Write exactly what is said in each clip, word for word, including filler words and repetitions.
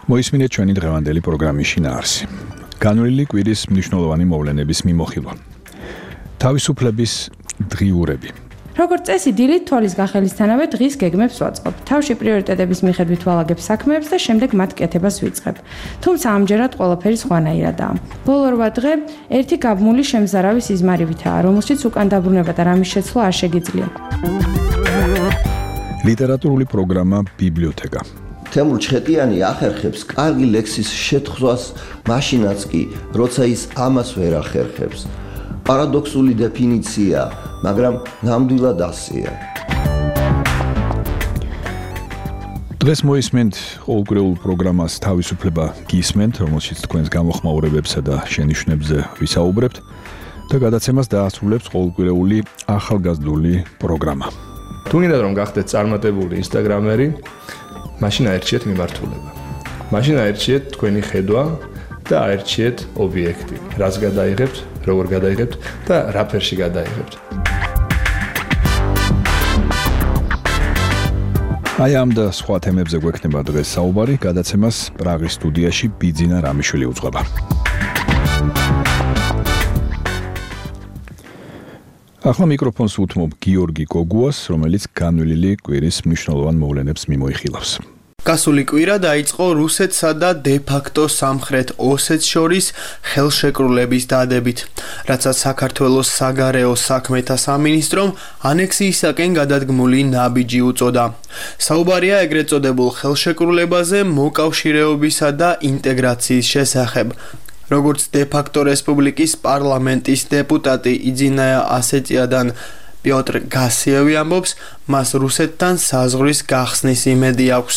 მოისმინეთ ჩვენი დღევანდელი პროგრამის შინაარსი. განვლილი კვირის მნიშვნელოვანი მოვლენების მიმოხილვა. თავისუფლების დღიურები. როგორც წესი, დილით თვალის გახელისთანავე დღის გეგმებს ვაწყობ. თავში პრიორიტეტების მიხედვით ვალაგებ საქმეებს და შემდეგ მათ კეთებას ვიწყებ. თუმცა ამჯერად ყველაფერი სხვანაირადაა. ბოლო რვა დღე ერთი გაბმული შემზარავი სიზმარივითაა, რომელშიც უკან დაბრუნება და რამის შეცვლა არ შეგიძლია. ლიტერატურული პროგრამა ბიბლიოთეკა. თემურ ჩხეტიანი ახერხებს კარგი ლექსის შეთხზვას მაშინაც კი, როცა ის ამას ვერ ახერხებს. პარადოქსული დეფინიცია, მაგრამ ნამდვილად ასეა. დღეს მოისმენთ ყოველკვირეულ პროგრამას თავისუფლება გისმენთ, რომელშიც თქვენს გამოხმაურებებსა და შენიშვნებზე ვისაუბრებთ და გადაცემას დაასრულებს ყოველკვირეული ახალგაზრდული პროგრამა. თუ გინდათ რომ გახდეთ წარმატებული ინსტაგრამერი, მაშინ აერჩიეთ მიმართულება. მაშინ აერჩიეთ თქვენი ხედვა და აერჩიეთ ობიექტი. რას გადაიღებთ, როგორ გადაიღებთ და რა ფერში გადაიღებთ. აი ამ და სხვა თემებზე გვექნება დღეს საუბარი, გადაცემას პრაღის სტუდიაში ბიძინა რამიშვილი უძღვება. ახლა მიკროფონს უთმობ გიორგი გოგუას, რომელიც განვლილი კვირის მნიშვნელოვან მოვლენებს მიმოიხილავს. გასული კვირა დაიწყო რუსეთსა და დე-ფაქტო სამხრეთ ოსეთს შორის ხელშეკრულების დადებით, რაცაც საქართველოს საგარეო საქმეთა სამინისტრომ ანექსიისაკენ გადადგმული ნაბიჯი უწოდა. საუბარია ეგრეთ წოდებულ ხელშეკრულებაზე მოკავშირეობისა და ინტეგრაციის შესახებ. როგორც დე-ფაქტო რესპუბლიკის პარლამენტის დეპუტატი იძინაია ასეტიადან პიოტრ გასიევი ამბობს, მას რუსეთთან საზღვრის გახსნის იმედი აქვს.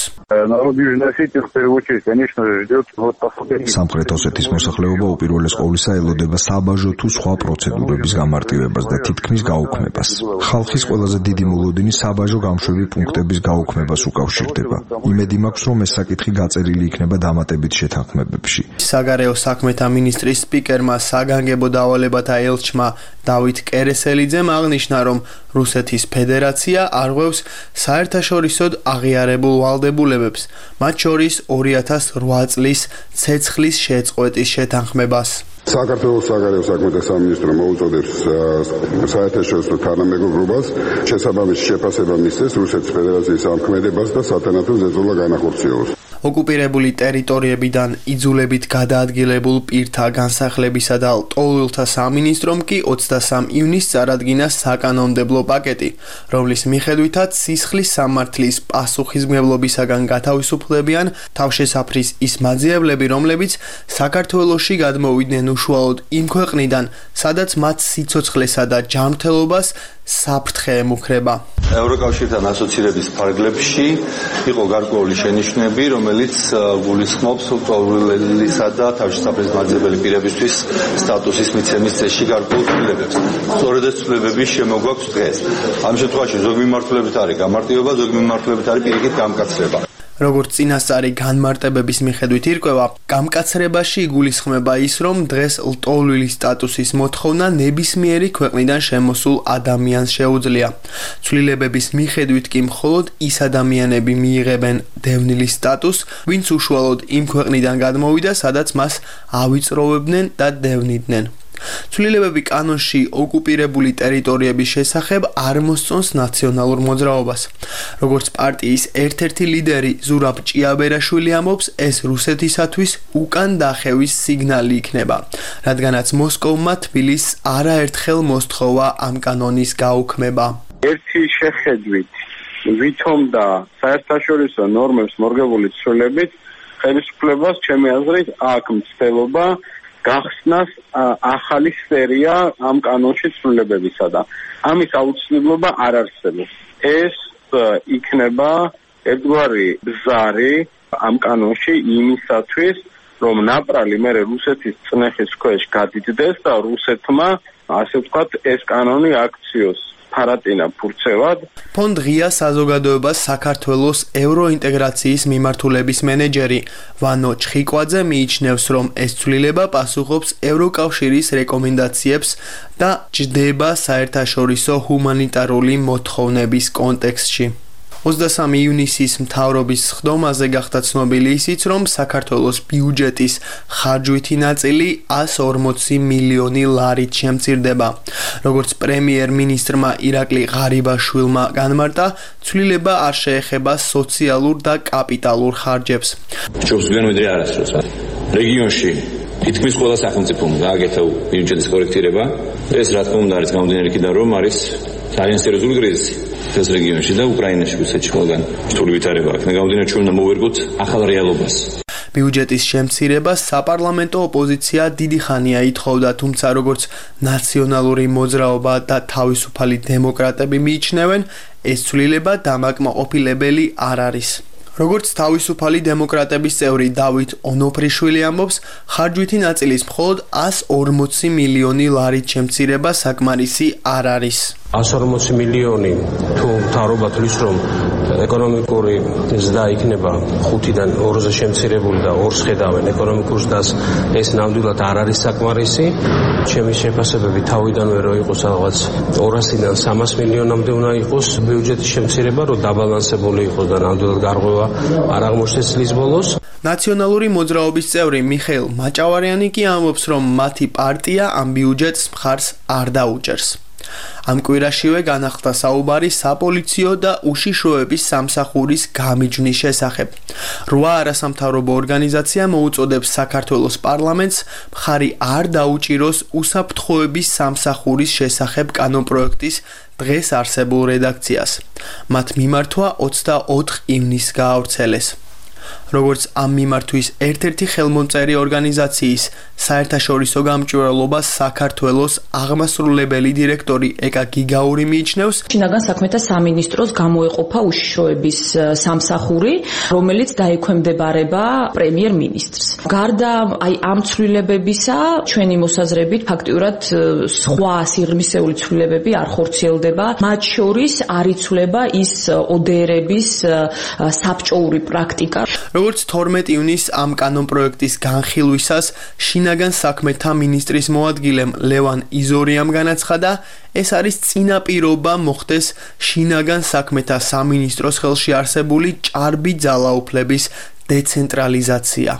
სამხრეთ ოსეთის მოსახლეობა უპირველეს ყოვლისა ელოდება საბაჟო თუ სხვა პროცედურების გამარტივებას და თითქმის გაუქმებას. ხალხის ყველაზე დიდი მოლოდინი საბაჟო გამშვები პუნქტების გაუქმებას უკავშირდება. იმედი მაქვს, რომ ეს საკითხი გაწერილი იქნება დამატებით შეთანხმებებში. საგარეო საქმეთა მინისტრის სპიკერმა საგანგებო დავალებათა ელჩმა დავით კერესელიძემ აღნიშნა, რომ რუსეთის ფედერაცია არღვევს საერთაშორისოდ აღიარებულ ვალდებულებებს, მათ შორის ორი ათას რვა წლის ცეცხლის შეწყვეტის შეთანხმებას. საქართველოს საგარეო საქმეთა სამინისტრო მოუწოდებს საერთაშორისო თანამეგობრობას შესაბამისი შეფასება მისცეს რუსეთის ფედერაციის ამქმედებას და სათანადო ზეწოლა განახორციელოს. ოკუპირებული ტერიტორიებიდან იძულებით გადაადგილებულ პირთა განსახლებისა და ლტოლვილთა სამინისტრომ კი ოცდასამ ივნისს წარადგინა საკანონმდებლო პაკეტი, რომლის მიხედვითაც სისხლის სამართლის პასუხისმგებლობისაგან გათავისუფლებიან თავშესაფრის ის მაძიებლები, რომლებიც საქართველოში გადმოვიდნენ უშუალოდ იმ ქვეყნიდან, სადაც მათ სიცოცხლესა და ჯანმრთელობას საფრთხე ემუქრება. ევროკავშირთან ასოცირების ფარგლებში იყო გარკვეული შენიშვნები, რომელიც გულისხმობს ლტოლვილისა და თავშესაფრის მაძიებელი პირებისთვის სტატუსის მიცემის წესში გარკვეულ ცვლილებებს. სწორედ ეს ცვლილებები შემოგვაქვს დღეს. ამ შემთხვევაში ზოგი მიმართულებით არის გამარტივება, ზოგი მიმართულებით არის პირიქით გამკაცრება. როგორც წინასწარი განმარტებების მიხედვით ირკვევა, გამკაცრებაში იგულისხმება ის, რომ დღეს ლტოლვილის სტატუსის მოთხოვნა ნებისმიერი ქვეყნიდან შემოსულ ადამიანს შეუძლია. ცვლილებების მიხედვით კი მხოლოდ ის ადამიანები მიიღებენ დევნილის სტატუსს, ვინც უშუალოდ იმ ქვეყნიდან გადმოვიდა, სადაც მას ავიწროვებდნენ და დევნიდნენ. ცვლილებები კანონში ოკუპირებული ტერიტორიების შესახებ არ მოსწონს ნაციონალურ მოძრაობას. როგორც პარტიის ერთ-ერთი ლიდერი ზურაბ ჭიაბერაშვილი ამბობს, ეს რუსეთისათვის უკან დახევის სიგნალი იქნება, რადგანაც მოსკოვმა თბილისს არაერთხელ მოსთხოვა ამ კანონის გაუქმება. ერთი შეხედვით ვითომ და საერთაშორისო ნორმებს მორგებული ცვლილებით ხელისუფლებას ჩემი აზრით აქ მცდელობა გახსნას ახალი სერია ამ კანონში ცვლილებებისა და ამის აუცილებლობა არ არსებობს. ეს იქნება ერთგვარი ბზარი ამ კანონში იმისათვის, რომ ნაპრალი მერე რუსეთის წნეხის ქვეშ გადიდდეს და რუსეთმა, ასე ვთქვათ, ეს კანონი აქციოს ფარატინა ფურცევად. ფონდ ღია საზოგადოებას საქართველოს ევროინტეგრაციის მიმართულების მენეჯერი ვანო ჩხიკვაძე მიიჩნევს, რომ ეს ცვლილება პასუხობს ევროკავშირის რეკომენდაციებს და ჯდება საერთაშორისო ჰუმანიტარული მოთხოვნების კონტექსტში. ოცდასამი ივნისის მთავრობის სხდომაზე გახდა ცნობილი ისიც, რომ საქართველოს ბიუჯეტის ხარჯვითი ნაწილი ას ორმოცი მილიონი ლარით შემცირდება. როგორც პრემიერ-მინისტრმა ირაკლი ღარიბაშვილმა განმარტა, ცვლილება არ შეეხება სოციალურ და კაპიტალურ ხარჯებს. ჩვენს გვიანვიდრე არასდროს რეგიონში თითქმის ყველა სახელმწიფომ გააკეთა ბიუჯეტის კორექტირება. ეს რა თქმა უნდა არის გამომდინარე იქიდან, რომ არის ძალიან სერიოზული კრიზისი ეს რეგიონში და უკრაინაში, რუსეთში ყველგან რთული ვითარება აქვს. გამომდინარე, ჩვენ უნდა მოვერგოთ ახალ რეალობას. ბიუჯეტის შემცირებას საპარლამენტო ოპოზიცია დიდი ხანია ითხოვდა, თუმცა როგორც ნაციონალური მოძრაობა და თავისუფალი დემოკრატები მიიჩნევენ, ეს ცვლილება დამაკმაყოფილებელი არ არის. როგორც თავისუფალი დემოკრატების წევრი დავით ონოფრიშვილი ამბობს, ხარჯვითი ნაწილის მხოლოდ ას ორმოცი მილიონი ლარით შემცირება საკმარისი არ არის. ას ორმოცი მილიონი თუ მთავრობა თვლის, რომ ეკონომიკური ზრდა იქნება ხუთიდან ორზე შემცირებული და ორს ხედავენ ეკონომიკურ ზრდას, ეს ნამდვილად არ არის საკმარისი. ჩემი შეფასებები თავიდანვე რო იყოს რაღაც ორასიდან სამას მილიონამდე უნდა იყოს ბიუჯეტის შემცირება, რომ დაბალანსებული იყოს და ნამდვილად გარღვევა არ აღმოჩნდეს წლის ბოლოს. ნაციონალური მოძრაობის წევრი მიხეილ მაჭავარიანი კი ამბობს, რომ მათი პარტია ამ ბიუჯეტს მხარს არ დაუჭერს. ამ კვირაშივე განახლდა საუბარი საპოლიციო და უშიშროების სამსახურის გამიჯვნის შესახებ. რვა არასამთავრობო ორგანიზაცია მოუწოდებს საქართველოს პარლამენტს მხარი არ დაუჭიროს უსაფრთხოების სამსახურის შესახებ კანონპროექტის დღეს არსებულ რედაქციას. მათ მიმართვა ოცდაოთხ ივნისს გაავრცელეს. როგორც ამ მიმართვის ერთ-ერთი ხელმომწერი ორგანიზაციის საერთაშორისო გამჭვირვალობას საქართველოს აღმასრულებელი დირექტორი ეკა გიგაური მიიჩნევს, შინაგან საქმეთა სამინისტროს გამოეყოფა უშიშროების სამსახური, რომელიც დაექვემდებარება პრემიერ-მინისტრს. გარდა აი ამ ცვლილებებისა, ჩვენი მოსაზრებით ფაქტიურად სხვა სიღრმისეული ცვლილებები არ ხორციელდება. მათ შორის არ იცვლება ის ოდერების საბჭოური პრაქტიკა. როგორც თორმეტი ივნისს ამ კანონპროექტის განხილვისას შინაგან საქმეთა მინისტრის მოადგილემ ლევან იზორიამ განაცხადა, ეს არის წინაპირობა მოხდეს შინაგან საქმეთა სამინისტროს ხელში არსებული ჭარბი ძალაუფლების დეცენტრალიზაცია.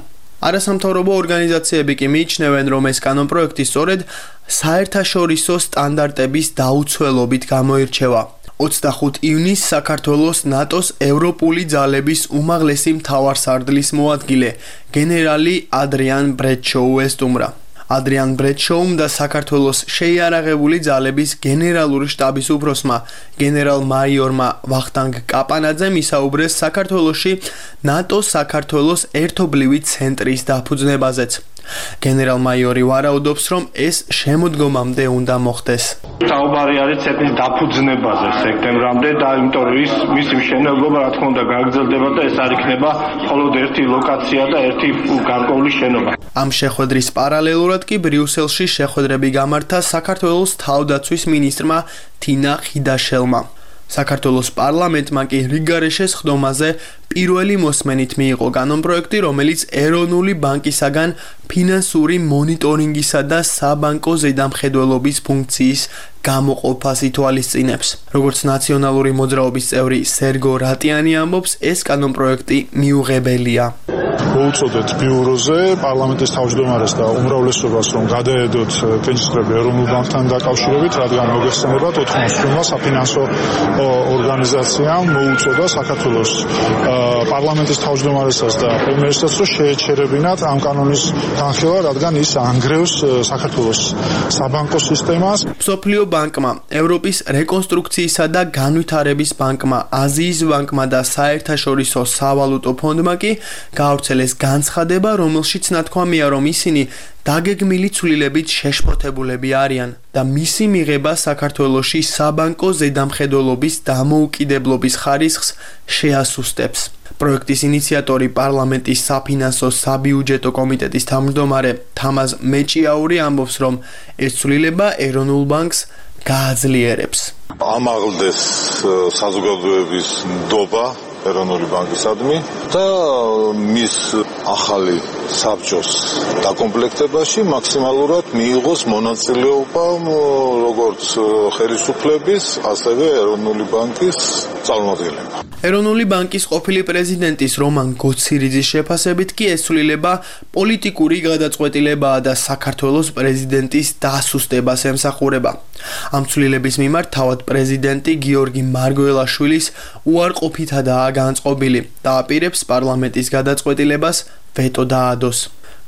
არასამთავრობო ორგანიზაციები კი მიიჩნევენ, რომ ეს კანონპროექტი სწორედ საერთაშორისო სტანდარტების დაუცველობით გამოირჩევა. ოცდახუთ ივნისს საქართველოს ნატოს ევროპული ძალების უმაღლესი მთავარსარდლის მოადგილე გენერალი ადრიან ბრედშოუ ესტუმრა. ადრიან ბრედშოუმ და საქართველოს შეიარაღებული ძალების გენერალური შტაბის უფროსმა გენერალ-მაიორმა ვახტანგ კაპანაძემ ისაუბრეს საქართველოში ნატოს საქართველოს ერთობლივი ცენტრის დაფუძნებაზეც. გენერალ-მაიორი ვარაუდობს, რომ ეს შემოდგომამდე უნდა მოხდეს. საუბარი არის ცენტრის დაფუძნებაზე სექტემბრამდე და იმიტომ რომ ის მისი მშენებლობა რა თქმა უნდა გაგრძელდება და ეს არ იქნება მხოლოდ ერთი ლოკაცია და ერთი გარკვეული შენობა. ამ შეხვედრის პარალელურად კი ბრიუსელში შეხვედრები გამართა საქართველოს თავდაცვის მინისტრმა თინა ხიდაშელმა. საქართველოს პარლამენტმა კი რიგგარეშეს ხდომაზე პირველი მოსმენით მიიღო კანონპროექტი, რომელიც ეროვნული ბანკისაგან ფინანსური მონიტორინგისა და საბანკო ზედამხედველობის ფუნქციის გამოყოფას ითვალისწინებს. როგორც ნაციონალური მოძრაობის წევრი სერგო რატიანი ამბობს, ეს კანონპროექტი მიუღებელია. მოუწოდეთ ბიუროზე პარლამენტის თავმჯდომარეს და უმრავლესობას, რომ გადაედოთ კენჭისყრები ეროვნულ ბანკთან დაკავშირებით, რადგან მოგეხსენებათ ოთხმოცდაოთხმა საფინანსო ორგანიზაციამ მოუწოდა საქართველოს პარლამენტის თავმჯდომარესაც და პრემიერსაც, რომ შეეჩერებინათ ამ კანონის განხილვა, რადგან ის ანგრევს საქართველოს საბანკო სისტემას. მსოფლიო ბანკმა, ევროპის რეკონსტრუქციისა და განვითარების ბანკმა, აზიის ბანკმა და საერთაშორისო სავალუტო ფონდმა კი გაავრცელეს განცხადება, რომელშიც ნათქვამია, რომ ისინი დაგეგმილი ცვლილებით შეშფოთებულები არიან და მისი მიღება საქართველოში საბანკო ზედამხედველობის დამოუკიდებლობის ხარისხს შეასუსტებს. პროექტის ინიციატორი პარლამენტის საფინანსო საბიუჯეტო კომიტეტის თავმჯდომარე თამაზ მეჭიაური ამბობს, რომ ეს ცვლილება ეროვნულ ბანკს გააძლიერებს. ამაღლდეს საზოგადოების ნდობა ეროვნული ბანკისადმი და მის ახალი საბჭოს დაკომპლექტებაში მაქსიმალურად მიიღოს მონაწილეობა როგორც ხელისუფლების, ასევე ეროვნული ბანკის წარმომადგენლები. ეროვნული ბანკის ყოფილი პრეზიდენტის რომან გოცირიძის შეფასებით კი ესულილება პოლიტიკური გადაწყვეტილებაა და საქართველოს პრეზიდენტის დასუსტებას ემსახურება. ამ ცვლილების მიმართ თავად პრეზიდენტი გიორგი მარგველაშვილის უარყოფითადაა განწყობილი და აპირებს პარლამენტის გადაწყვეტილებას ვეტო დაადოს.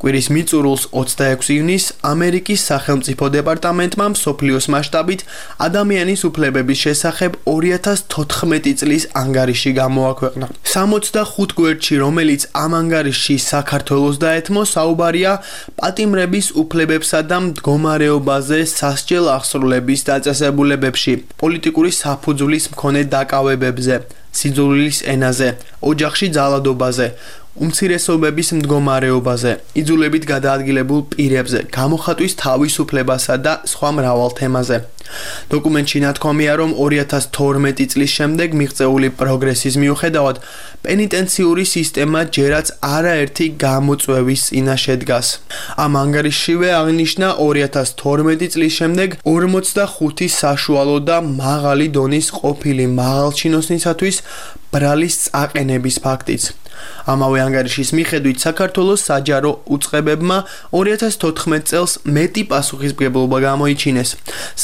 კვირის მიწურულს ოცდაექვსი ივნისს ამერიკის სახელმწიფო დეპარტამენტმა მსოფლიოს მასშტაბით ადამიანის უფლებების შესახებ ორი ათას თოთხმეტი წლის ანგარიში გამოაქვეყნა. სამოცდახუთ გვერდში, რომელიც ამ ანგარიშში საქართველოს დაეთმო, საუბარია პატიმრების უფლებებსა და მდგომარეობაზე სასჯელ აღსრულების დაწესებულებებში, პოლიტიკური საფუძვლის მქონე დაკავებებზე, სიძულვილის ენაზე, ოჯახში ძალადობაზე, უმცირესობების მდგომარეობაზე, იძულებით გადაადგილებულ პირებზე, გამოხატვის თავისუფლებასა და სხვა მრავალ თემაზე. დოკუმენტში ნათქვამია, რომ ორი ათას თორმეტი წლის შემდეგ მიღწეული პროგრესის მიუხედავად, პენიტენციური სისტემა ჯერაც არაერთი გამოწვევის წინაშე დგას. ამ ანგარიშშივე აღნიშნა ორი ათას თორმეტი წლის შემდეგ ორმოცდახუთი საშუალო და მაღალი დონის ყოფილი მაღალჩინოსნისათვის ბრალის წაყენების ფაქტიც. ამავე ანგარიშის მიხედვით საქართველოს საჯარო უწყებებმა ორი ათას თოთხმეტ წელს მეტი პასუხისმგებლობა გამოიჩინეს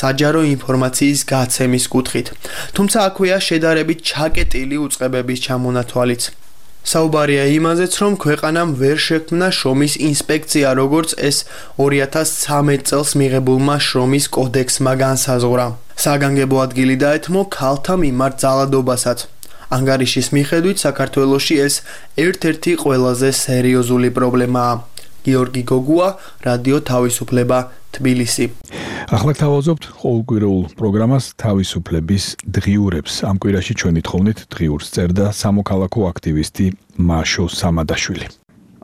საჯარო ინფორმაციის გაცემის კუთხით. თუმცა აქვეა შედარებით ჩაკეტილი უწყებების ჩამონათვალიც. საუბარია იმაზეც, რომ ქვეყანამ ვერ შექმნა შრომის ინსპექცია, როგორც ეს ორი ათას ცხრამეტ წელს მიღებულმა შრომის კოდექსმა განსაზღვრა. საგანგებო ადგილი დაეთმო ქალთა მიმართ ძალადობასაც. ანგარიშის მიხედვით საქართველოში ეს ერთ-ერთი ყველაზე სერიოზული პრობლემაა. გიორგი გოგუა, რადიო თავისუფლება, თბილისი. ახლა თავაზობთ ყოველკვირეულ პროგრამას თავისუფლების დღიურებს. ამ კვირაში ჩვენი თხოვნით დღიურს წერდა სამოქალაქო აქტივისტი მაშო სამადაშვილი.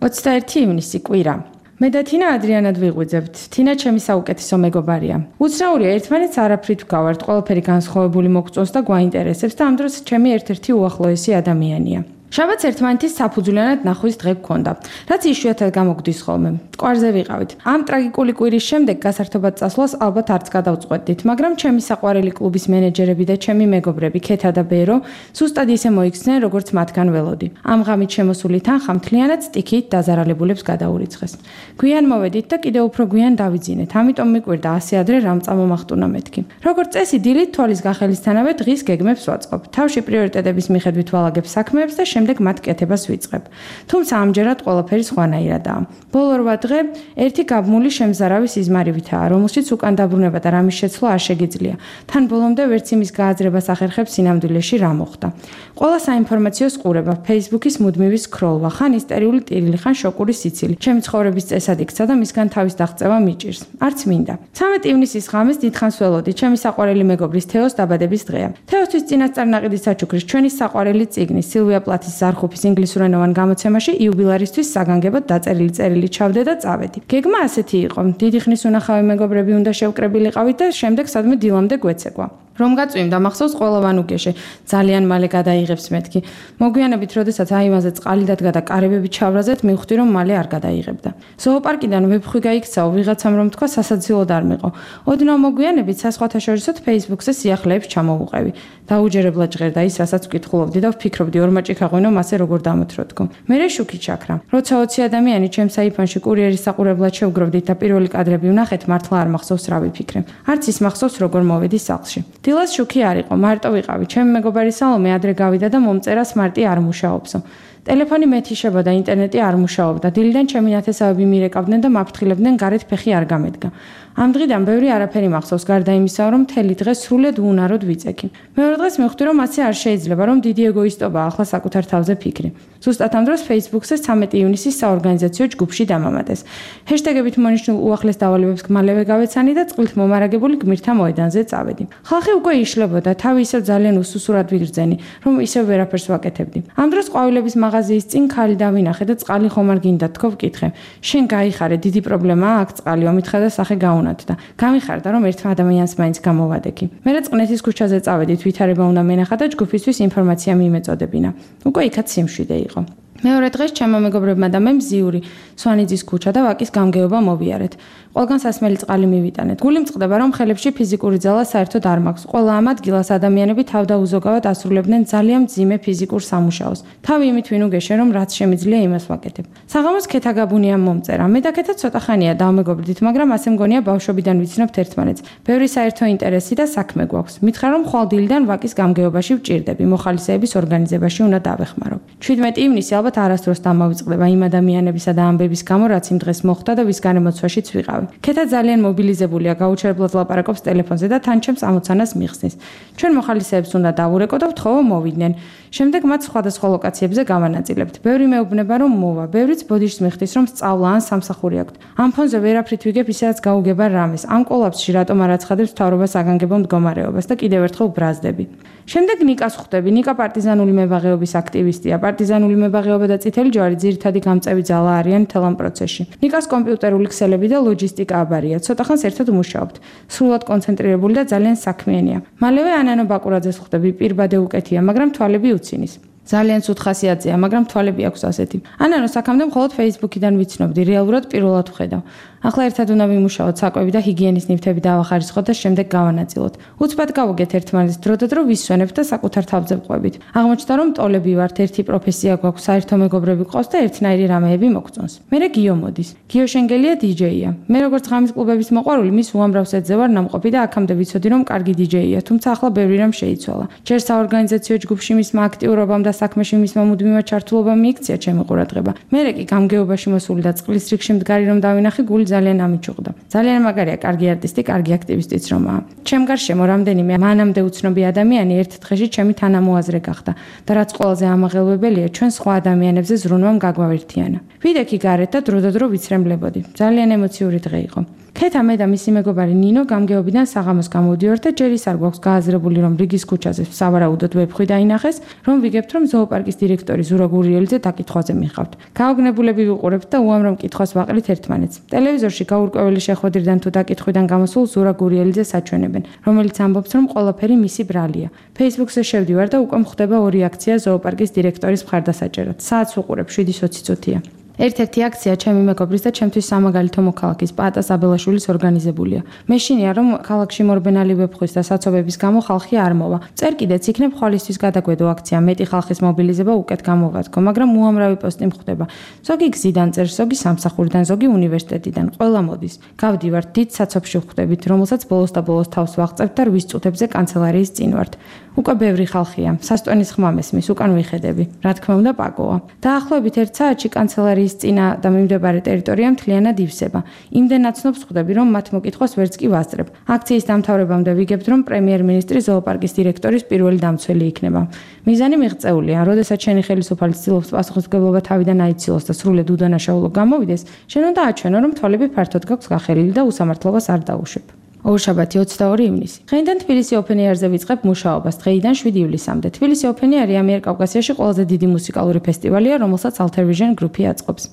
ოცდაერთი ივნისი კვირა. მე და თინა ადრიანად ვიღვიძებთ. თინა ჩემი საუკეთესო მეგობარია. უცნაურია ერთმანეთს არაფრით ვგავართ, ყველაფერი განსხვავებული მოგწონს და გვაინტერესებს და ამ დროს ჩემი ერთ-ერთი უახლოესი ადამიანია. შაბათს ერთმანეთის საფუძვლიანად ნახვის დღე გქონდა, რაც იშვიათად გამოგვდის ხოლმე. მტკვარზე ვიყავით. ამ ტრაგიკული კვირის შემდეგ გასართობად წასვლას ალბათ არც გადავწყვეტდით, მაგრამ ჩემი საყვარელი კლუბის მენეჯერები და ჩემი მეგობრები ქეთა და ბერო სუსტად ისე მოიქცნენ, როგორც მათგან ველოდი. ამ ღამით შემოსული თანხა მთლიანად სტიქით დაზარალებულებს გადაურიცხეს. გვიან მოვედით და კიდევ უფრო გვიან დავიძინეთ. ამიტომ მიკვირდა ასე ადრე რამ წამომახტუნა მეთქი. როგორც წესი, დილით თვალის გახელისთანავე დღის გეგმებს ვაწყობ. თავში პრიორიტეტების მიხედვით ვალაგებ საქმეებს და შემდეგ მათ კეთებას ვიწყებ. თუმცა ამჯერად ყველაფერი სხვანაირადაა. ბოლო რვა დღე ერთი გაბმული შემზარავი სიზმარივითაა, რომელშიც უკან დაბრუნება და რამის შეცვლა არ შეგიძლია. თან ბოლომდე ვერც იმის გააზრებას ახერხებს სინამდვილეში რა მოხდა. ყველა საინფორმაციო ყურება, Facebook-ის მუდმივი სკროლვა, ხან ისტერიული ტირილი, ხან შოკური სიცილი. ჩემი ცხოვრების წესად იქცა და მისგან თავის დაღწევა მიჭირს. არც მინდა. ცამეტი ივნისის ღამეს დიდხანს ველოდი, ჩემი საყვარელი მეგობრის თეოს დაბადების დღეა. თეოსთვის წინასწარ ნაყიდის საჩუქრის ჩვენი საყვარელი წიგნი სილვია პლათის ზარხუფის ინგლისურენოვან გამოცემაში იუბილარისთვის საგანგებოდ დაწერილი წერილი ჩავდე და წავედი. გეგმა ასეთი იყო. დიდი ხნის უნახავი მეგობრები უნდა შევკრებილიყავით და შემდეგ სადმე დილამდე გვეცეკვა. რომ გაწვიმდა მახსოვს ყველა ვანუგეშე ძალიან მალე გადაიღებს მეთქი. მოგვიანებით, როდესაც აი ამაზე წყალი დადგა და კარებები ჩავრაზეთ, მივხვდი რომ მალე არ გადაიღებდა. ზოოპარკიდან ვეფხვი გაიქცაო, ვიღაცამ რომ თქვა სასაცილოდ არ მიყო. ოდნავ მოგვიანებით სასხვათა შორისოთ Facebook-ზე სიახლეებს ჩამოვუყევი. დაუჯერებლად ჟღერდა ის, რასაც ვკითხულობდი და ვფიქრობდი ორმაჭი ქაღვინო მასე როგორ დამოთროდგო. მერე შუქი ჩაქრა. როცა ოცი ადამიანი ჩემს აიფონში კურიერის საყურებლად შევგროვდით და პირველი კადრები ვნახეთ, მართლა არ მახსოვს რა ვიფიქრე. არც ის მახსოვს როგორ მოვედი სახლში. დილას შუქი არ იყო, მარტო ვიყავი. ჩემი მეგობარი სალომე ადრე გავიდა და მომწერას მარტი არ მუშაობსო. ტელეფონი მეთიშება და ინტერნეტი არ მუშაობდა. დილიდან ჩემი ნათესავები მირეკავდნენ და მაფრთხილებდნენ, გარეთ ფეხი არ გამედგა. ამ დღიდან ბევრი არაფერი მახსოვს, გარდა იმისა, რომ მთელი დღე სრულად უუნაროდ ვიწექი. მეორე დღეს მივხვდი, რომ ასე არ შეიძლება, რომ დიდი ეგოისტობაა ახლა საკუთარ თავზე ფიქრი. ზუსტად ამ დროს Facebook-ზე ცამეტი ივნისის საორგანიზაციო ჯგუფში დამამატეს. ჰეშტეგებით მონიშნულ უახლეს დავალებებს მალევე გავეცანი და წყვილთ მომარაგებული გმირთა მოედანზე წავედი. ხალხი უკვე იშლებოდა, თავი ისევ ძალიან უსუსურად ვიგრძენი, რომ ისევ ვერაფერს ვაკეთებდი. ამ დროს ყვავილების მაღაზია მაღაზიის წინ ქალი დავინახე და წყალი ხომ არ გინდა თქო ვკითხე. შენ გაიხარე, დიდი პრობლემაა აქ წყალი, ომითხა და სახე გაუნათდა. გამიხარდა რომ ერთ ადამიანს მაინც გამოვადექი. მერე წყნეთის ქუჩაზე წავედით, ვითარება უნდა მენახა და ჯგუფისთვის ინფორმაცია მიიმეწოდებინა. უკვე იქაც სიმშვიდე იყო. მეორე დღეს ჩემო მეგობრებმა და მე მზიური სვანიძის ქუჩა და ვაკის გამგეობა მოვიარეთ. ყველგან სასმელი წყალი მივიტანეთ. გული მწყდება რომ ხელებში ფიზიკური ძალა საერთოდ არ მაქვს. ყველა ამ ადგილას ადამიანები თავდაუზოგავად ასრულებდნენ ძალიან მძიმე ფიზიკურ სამუშაოს. თავი იმით ვინ უგეშე რომ რაც შემიძლია იმას ვაკეთებ. საღამოს ქეთაგაბუნია მომწერა. მე და ქეთა ცოტა ხანია დავმეგობრდით, მაგრამ ასე მგონია ბავშვობიდან ვიცნობთ ერთმანეთს. ბევრი საერთო ინტერესი და საქმე გვაქვს. მითხრა რომ ხვალდილიდან ვაკის გამგეობაში ვჭირდები, მოხალისეების ორგანიზებაში უნდა დავეხმარო. ჩვიდმეტი ივნისი ალბათ არასდროს დამავიწყდება იმ ადამიანებისა და ამბების გამო, რაც იმ დღეს მოხდა და ვის განემოცვაშიც ვიყავი. ქეთა ძალიან მობილიზებულია, გაუჩერებლად ლაპარაკობს ტელეფონზე და თან ჩემს ამოცანას მიხსნის. ჩვენ მოხალისეებს უნდა დავურეკო და ვთხოვო მოვიდნენ. შემდეგ მათ სხვადასხვა ლოკაციებზე გავანაწილებთ. ბევრი მეუბნება რომ მოვა, ბევრიც ბოდიშს მიხდის რომ სწავლა ან სამსახური აქვთ. ამ ფონზე ვერაფრით ვიგებ ისედაც გაუგება რამეს. ამ კოლაფსში რატომ არ აცხადებს მთავრობას აგანგებო მდგომარეობას და კიდევ ერთხელ ბრაზდები. შემდეგ ნიკას ხვდები. ნიკა პარტიზანული მებაღეობის აქტივისტია. პარტიზანული მებაღეობა და წითელი ჯვარი ძირითადი გამწევი ძალა არიან მთელ ამ პროცესში. ნიკას კომპიუტერული ქსელები და ლოჯისტიკა აბარია. ცოტა ხანს ერთად მუშაობთ. სრულად კონცენტრირებული და ძალიან საქმიანია. მალევე ანანო ბაკურაძეს ხვდები. პირბადე უკეთია, მაგრამ თვალები უცინის. ძალიან სუთ ხასიათზეა, მაგრამ თვალები აქვს ასეთი. ანანო საქამდე მხოლოდ Facebook-იდან ვიცნობდი, რეალურად პირველად ვხედავ. ახლა ერთად უნდა ვიმუშაოთ, საკვები და ჰიგიენის ნივთები დავახარისხოთ და შემდეგ გავანაწილოთ. უცბად გავუგეთ ერთმანეთს, დრო და დრო ვისვენებთ და საკუთარ თავზე ვყვებით. აღმოჩნდა რომ ტოლები ვართ, ერთი პროფესია გვაქვს, საერთო მეგობრები ყავს და ერთნაირი რამეები მოგწონს. მერე გიო მოდის. გიო შენგელია დი-ჯეია. მე როგორც ღამის კლუბების მოყვარული, მის უამრავ სეტზე ვარ ნამყოფი და აქამდე ვიცოდი რომ კარგი დი-ჯეია, თუმცა ახლა ბევრი რამ შეიცვალა. ჯერ საორგანიზაციო ჯგუფში მისმა აქტიურობამ და საქმეში მისმა მუდმივად ჩართულობამ მიიქცია ჩემი ყურადღება. მერე კი გამგეობაში მოსული და წყლის რიგში მდგარი რომ დავინახე, გული ძალიან ამიჩუღდა. ძალიან მაგარია, კარგი არტისტი, კარგი აქტივისტიც რომაა. ჩემ გარშემო რამდენიმე მანამდე უცნობი ადამიანი ერთ დღეში ჩემი თანამოაზრე გახდა და რაც ყველაზე ამაღელვებელია, ჩვენ სხვა ადამიანებზე ზრუნვამ გაგვავერთიანა. ვიდექი გარეთ და დრო და დრო ვიცრემლებოდი. ძალიან ემოციური დღე იყო. ქეთა მე და მისი მეგობარი ნინო გამგეობიდან საღამოს გამოვდივართ და ჯერ ის არ გვაქვს გააზრებული რომ რიგის ქუჩაზე სავარაუდოდ ვეფხვი დაინახეს, რომ ვიგებთ რომ ზოოპარკის დირექტორი ზურა გურიელიძე დაკითხვაზე მიხავთ. გაოგნებულები ვიყურებთ და უამრავ მკითხვას ვაყრით ერთმანეთს. ტელევიზორში გაურკვეველი შეხვედრიდან თუ დაკითხვიდან გამოსულ ზურა გურიელიძეს აჩვენებენ, რომელიც ამბობს რომ ყველაფერი მისი ბრალია. Facebook-ზე შევდივარ და უკვე მხდება ორი აქცია ზოოპარკის დირექტორის მხარდასაჭერად. საათს ვუყურებ შვიდი ოცი. ერთ-ერთი აქცია ჩემი მეგობრის და ჩემთვის სამაგალითო მოქალაქის პაატა საბელაშვილის ორგანიზებულია. მეშინია რომ ქალაქში მორბენალი ვეფხვის და საცობების გამო ხალხი არ მოვა. წერ კიდეც იქნებ ხვალისთვის გადაგვედო აქცია, მეტი ხალხის მობილიზება უკეთ გამოვადგო, მაგრამ უამრავი პოსტი მხვდება. ზოგი გზიდან წერს, ზოგი სამსახურიდან, ზოგი უნივერსიტეტიდან, ყველა მოდის. გავდივართ დიდ საცობში ვხვდებით, რომელსაც ბოლოს და ბოლოს თავს ვაღწევთ და რვის წუთებზე კანცელარიის წინ ვართ. უკვე ბევრი ხალხია, სასტვენის ხმა მესმის, უკან ვიხედები. რა თქმა უნდა, პაკოა. დაახლოებით ერთ საათში კანცელარიის წინა და მიმდებარე ტერიტორია მთლიანად ივსება. იმდენ აცნობს ხვდები, რომ მათ მოკითხვას ვერც კი ვასწრებ. აქციის დამთავრებამდე ვიგებთ, რომ პრემიერ-მინისტრი ზოოპარკის დირექტორის პირველი დამცველი იქნება. მიზანი მიღწეულია, როდესაც შენი ხელისუფალი ცდილობს პასუხისმგებლობა თავიდან აიცილოს და სრულად უდანაშაულო გამოვიდეს, შენ უნდა აჩვენო, რომ თვალები ფართოდ გაქვს გახელილი და უსამართლობას არ დაუშვებ. ორშაბათი ოცდაორი ივნისი. დღეიდან თბილისი ოპენ ეარზე ვიწყებ მუშაობას, დღეიდან შვიდი ივლისამდე. თბილისი ოპენ ეარი ამიერკავკასიაში ყველაზე დიდი მუსიკალური ფესტივალია, რომელსაც Altervision Group-ი აწყობს.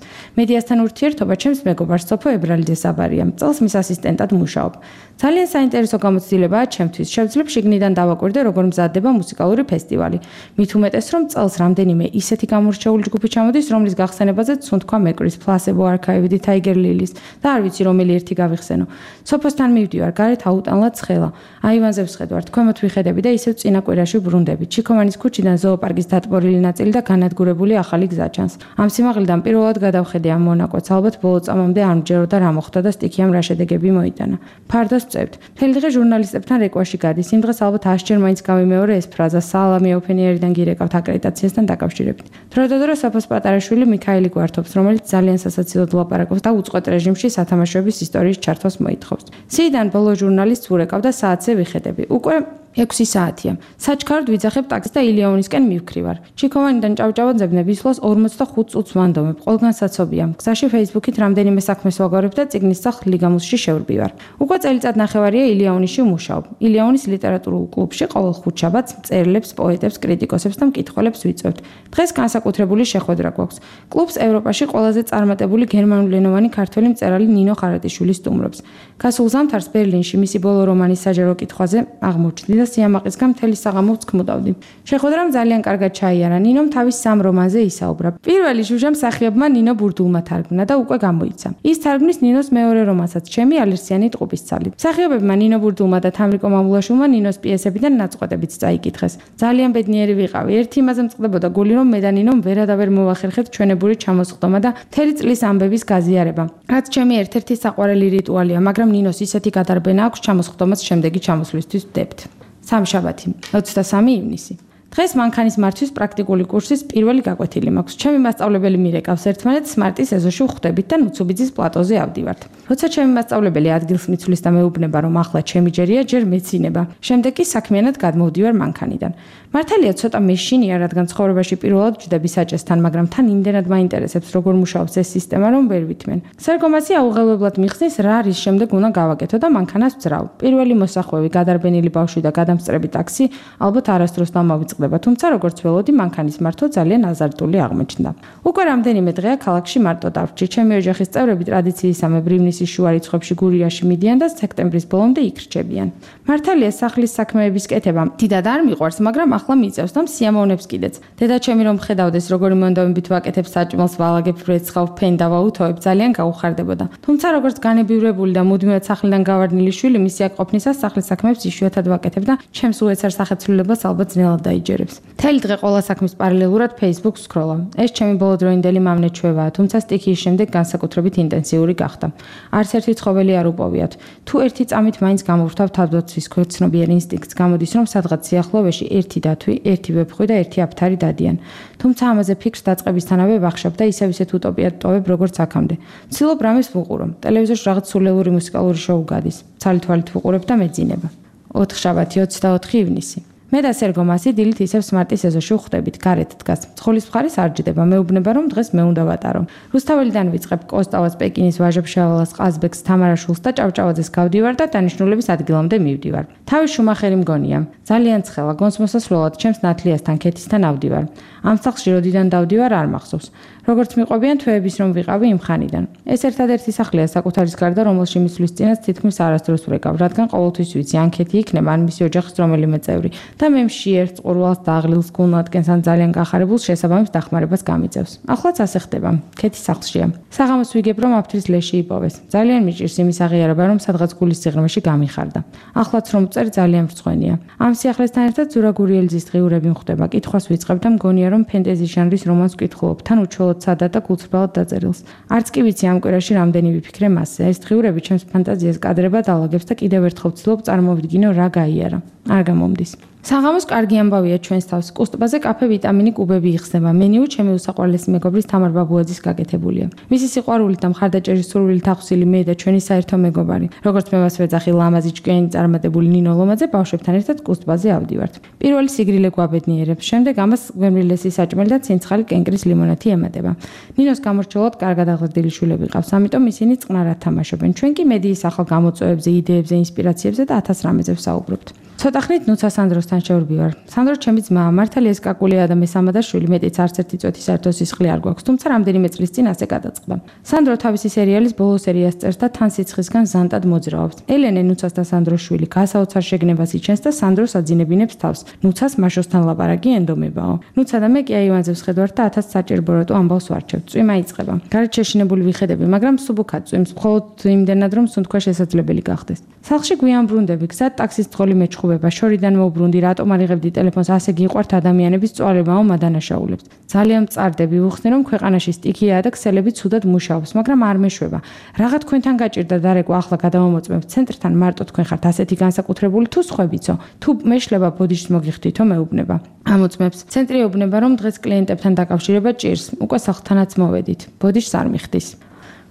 მედიასთან ურთიერთობა ჩემს მეგობარს სოფო ებრალიძეს აბარია. წელს მის ასისტენტად მუშაობ. ძალიან საინტერესო გამოცდილებაა ჩემთვის. შევძლებ შიგნიდან დავაკვირდე, როგორ მზადდება მუსიკალური ფესტივალი. მით უმეტეს, რომ წელს რამდენიმე ისეთი გამორჩეული ჯგუფი ჩამოდის, რომლის გახსენებაზე ცუნ თქვა მეკრის, Placebo Archive-ი, Tiger Lilies და არ ვიცი რომელი ერთი გავიხსენო. სოფოსთან მივდივარ, გარეთ აუტანლად ცხელა. აივანზე ვსხედვართ, ქვემოთ ვიხედები და ისევ წინა კვირაში ბრუნდები. ჩიქოვანის ქუჩიდან ზოოპარკის დატბორილი ნაწილი და განადგურებული ახალი გზა ჩანს. ამ სიმაღლიდან პირველად გადავხედე ამ მონაკვეთს, ალბათ ბოლო წამამდე არ მჯეროდა რა მოხდა და სტიქიამ რა შედეგები მოიტანა. ფარდას წევთ. მთელი დღე ჟურნალისტებთან რეკვაში გადის. იმ დღეს ალბათ ასჯერ მაინც გავიმეორე ეს ფრაზა სალამი ოპენიერიდან გირეკავთ აკრედიტაციასთან დაკავშირებით. დრო და დრო საფოს პატარაშვილი მიქაელი გვართობს, რომელიც ძალიან სასაცილოდ ლაპარაკობს და უწყვეტ რეჟიმში სათამაშოების ისტორიის ჩართვას მოითხოვს. სიიდან ბოლო ჟურნალისტს ვურეკავ და საათზე ვიხედები. უკვე ექვსი საათია. საჩქაროდ ვიძახებ ტაქსის და ილიანისკენ მივქრივარ. ჩიქოვანიდან ჭავჭავაძე ვისვლას ორმოცდახუთ წუთს ვანდომებ. ყველგან საცობია. გზაში Facebook-ით რამდენიმე საქმეს ვაგორებ და წიგნის სახლ ლიგამუსში შევრბივარ. უკვე წელიწად ნახევარია ილიანისში ვმუშაობ. ილიანის ლიტერატურულ კლუბში ყოველ ხუთშაბათს მწერლებს, პოეტებს, კრიტიკოსებს და მკითხველებს ვიწვევთ. დღეს განსაკუთრებული შეხვედრა გვაქვს. კლუბს ევროპაში ყველაზე წარმატებული გერმანულენოვანი ქართველი მწერალი ნინო ხარატიშვილი სტუმრობს. გასულ ზამთარს ბერლინში მისი ბოლო რომანის საჯარო კითხვაზე აღმოჩნდი და სიამაყისგან მთელი საღამო ვცქმუდავდი. შეხვედრამ ძალიან კარგად ჩაიარა. ნინომ თავის სამ რომანზე ისაუბრა. პირველი ჟუჟა მსახიობმა ნინო ბურდულმა თარგმნა და უკვე გამოიცა. ის თარგმნის ნინოს მეორე რომანსაც ჩემი ალერსიანი ტყუპის ცალი. მსახიობებმა ნინო ბურდულმა და თამრიკო მამულაშვილმა ნინოს პიესებიდან ნაწყვეტებიც წაიკითხეს. ძალიან ბედნიერი ვიყავი. ერთი იმაზე მწყდებოდა გული, რომ მე და ნინომ ვერადავერ მოვახერხეთ ჩვენებური ჩამოსხდომა და მთელი წლის ამბების გაზიარება. რაც ჩემი ერთ-ერთი საყვარელი რიტუალია, მაგრამ ნინოს ისეთი გადარბენა აქვს ჩამოსხდომას შემდეგი ჩამოსვლისთვის ვდებთ. სამშაბათი, ოცდასამი ივნისი. დღეს მანქანის მართვის პრაქტიკული კურსის პირველი გაკვეთილი მაქვს. ჩემი მასწავლებელი მირეკავს ერთმანეთს მარტის ეზოში ვხვდებით და ნუცუბიძის პლატოზე ავდივართ. როცა ჩემი მასწავლებელი ადგილს მიცვლის და მეუბნება, რომ ახლა ჩემი ჯერია, ჯერ მეცინება. შემდეგ კი საქმიანად გადმოვდივარ მანქანიდან. მართალია ცოტა მეშინია, რადგან ცხოვრებაში პირველად ვჯდები საჭესთან, მაგრამ თან იმდენად მაინტერესებს, როგორ მუშაობს ეს სისტემა, რომ ვერ ვითმენ. სარგომაცი აუღელებლად მიხსნის, რა არის შემდეგ უნდა გავაკეთო და მანქანას ვძრავ. პირველი მოსახვევი, გადარბენილი ბავშვი და გადამსწრები ტაქსი ალბათ არასდროს დამავიწყდება, თუმცა როგორც ველოდი, მანქანის მართვა ძალიან აზარტული აღმოჩნდა. უკვე რამდენიმე დღეა ქალაქში მარტო დავრჩი. ჩემი ოჯახის წევრები ტრადიციისამებრ ივნისის შუა რიცხვებში გურიაში მიდიან და სექტემბრის ბოლომდე იქ რჩებიან. მართალია სახლის საქმეების კეთება დიდად არ მიყვარს, მაგრამ ახლა მიწევს და სიამოვნებს კიდეც. დედაჩემი რომ ხედავდეს, როგორი მონდომებით ვაკეთებ საჭმელს, ვალაგებ ვრეცხავ, ფენდა ვაუთოებ, ძალიან გაუხარდებოდა. თუმცა როგორც განებივრებული და მუდმივად სახლიდან გავარდნილი შვილი, მისი აქ ყოფნისას სახლის საქმეებს იშვიათად ვაკეთებ და ჩემს უეცარ სახეცვლილებას ალბათ ძნელად დაიჯერებს. მთელი დღე ყველა საქმის პარალელურად Facebook სკროლავ. ეს ჩემი ბოლოდროინდელი მამნეჩვევაა, თუმცა სტიქიის შემდეგ განსაკუთრებით ინტენსიური გახდა. არც ერთი ცხოველი არ უპოვიათ. თუ ერთი წამით მაინც გამოვრთავ თავდაცვის ქვეცნობიერ ინსტინქტს, გამოდის რომ სადღაც სიახლოვეში ერთი დათვი, ერთი ვეფხვი და ერთი აფთარი დადიან. თუმცა ამაზე ფიქრს დაწყებისთანავე ვახშობ და ისევ ისეთ უტოპიად ტოვებ, როგორც აქამდე. ვცდილობ რამეს ვუყურო. ტელევიზორში რაღაც სულელური მუსიკალური შოუ გადის. ცალ-თვალით ვუყურებ და მეძინება. ოთხშაბათი, ოცდაოთხი ივნისი. მე და სერგო მასი დილით ისევ სმარტის ეზოში ვხვდებით, გარეთ დგას. ცხოლის მხარეს არ ჯდება, მეუბნება რომ დღეს მე უნდა ვატარო. რუსთაველიდან ვიწყებ კოსტავას, პეკინის, ვაჟა-ფშაველას, ყაზბეგს, თამარაშვილს და ჭავჭავაძეს გავდივარ და დანიშნულების ადგილამდე მივდივარ. თავი შუმახერი მგონია. ძალიან ცხელა, გონს მოსასვლელად ჩემს ნათლიასთან, ქეთისთან ავდივარ. ამ სახლში როდიდან დავდივარ არ მახსოვს. როგორც მიყვებიან თვეების რომ ვიყავი იმ ხანიდან. ეს ერთადერთი სახლია საკუთარის გარდა, რომელში მისვლის წინაც თითქმის არასდროს ვრეკავ, რადგან ყოველთვის ვიცი, ან ქეთი იქნება, ან მისი ოჯახის რომელიმე წევრი. და მე მშიერს, ყურვალს და აღლილს გულნადგენს ან ძალიან გახარებულს შესაბამის დახმარებას გამიწევს. ახლაც ასე ხდება. ქეთი სახლშია. საღამოს ვიგებ რომ აფთრის ლეში იპოვეს. ძალიან მიჭირს იმის აღიარება, რომ სადღაც გულის სიღრმეში გამიხარდა. ახლაც რომ წერ ძალიან მრცხვენია. ამ სიახლესთან ერთად ზურა გურიელძის დღიურები მხვდება. კითხვას ვიწყებ და მგონია რომ ფენტეზი ჟანრის რომანს ვკითხულობ, თან უჩვეულოდ სადად და გულწრფელად დაწერილს. არც კი ვიცი ამ კვირაში რამდენი ვიფიქრე მასზე. ეს დღიურები ჩემს ფანტაზიას კადრებად ალაგებს და კიდევ ერთხელ ვცდილობ წარმოვიდგინო რა გაიარა. არ გამომდის. საღამოს კარგი ამბავია ჩვენს თავს. კუსტბაზე კაფე ვიტამინი კუბები იხსნება. მენიუ ჩემი უსაყვარლესი მეგობრის თამარ ბაბუაძის გაკეთებულია. მისი სიყვარულით და მხარდაჭერის სურვილით ახსილი მე და ჩვენი საერთო მეგობარი. როგორც მე მას ვეძახი ლამაზი ჭკვიანი წარმატებული ნინო ლომაძე ბავშვებთან ერთად კუსტბაზე ავდივართ. პირველი სიგრილე გვაბედნიერებს, შემდეგ ამას გვემრილესი საჭმელი და ცინცხალი კენკრის ლიმონათი ემატება. ნინოს გამორჩეულად კარგად აღზრდილი შვილები ყავს, ამიტომ ისინი წყნარად თამაშობენ. ჩვენ კი მედიის ახალ გამოწვევებზე, იდეებზე, ინსპირაციებზე და ათას რამეზე ვსაუბრობთ. ცოტა ხნით ნუცა სანდროსთან შევრბივარ. სანდრო ჩემი ძმაა, მართალია ეს კაკულია და მესამადა შვილი, მეტიც არც ერთი წუთი საერთო სისხლი არ გვაქვს, თუმცა რამდენიმე წლის წინ ასე გადაწყდა. სანდრო თავისი სერიალის ბოლო სერიას წერს და თან სიცხისგან ზანტად მოძრაობს. ელენე ნუცას და სანდროს შვილი გასაოცარ შეგნებას იჩენს და სანდროს აძინებინებს თავს. ნუცას მაშოსთან ლაპარაკი ენდომებაო. ნუცა და მე კი აივანზე ვსხედვართ და ათას საჭირბოროტო ამბავს ვარჩევთ. წვიმა იწყება. გარეთ შეშინებული ვიხედები, მაგრამ სუბუქად წვიმს, მხოლოდ იმდენად რომ სუნთქვა შესაძლებელი გახდეს. სახლში გვიან ბრუნდები, გზად ტაქსის თხოლი მეჩხუბება, შორიდან მოვბრუნდი, რატომ არ იღებდი ტელეფონს, ასე გიყვართ ადამიანების წვალებაო მადანაშაულებს. ძალიან მწარდები, ვუხსნი რომ ქვეყანაში სტიქიაა და ქსელები ცუდად მუშაობს, მაგრამ არ მეშვება. რაღა თქვენთან გაჭირდა დარეკვა, ახლა გადავამოწმებ ცენტრთან, მარტო თქვენ ხართ ასეთი განსაკუთრებული თუ სხვებიცო. თუ მეშლება ბოდიშს მოგიხდითო მეუბნება. ამოწმებს. ცენტრი ეუბნება რომ დღეს კლიენტებთან დაკავშირება ჭირს. უკვე სახლთანაც მოვედით. ბოდიშს არ მიხდის.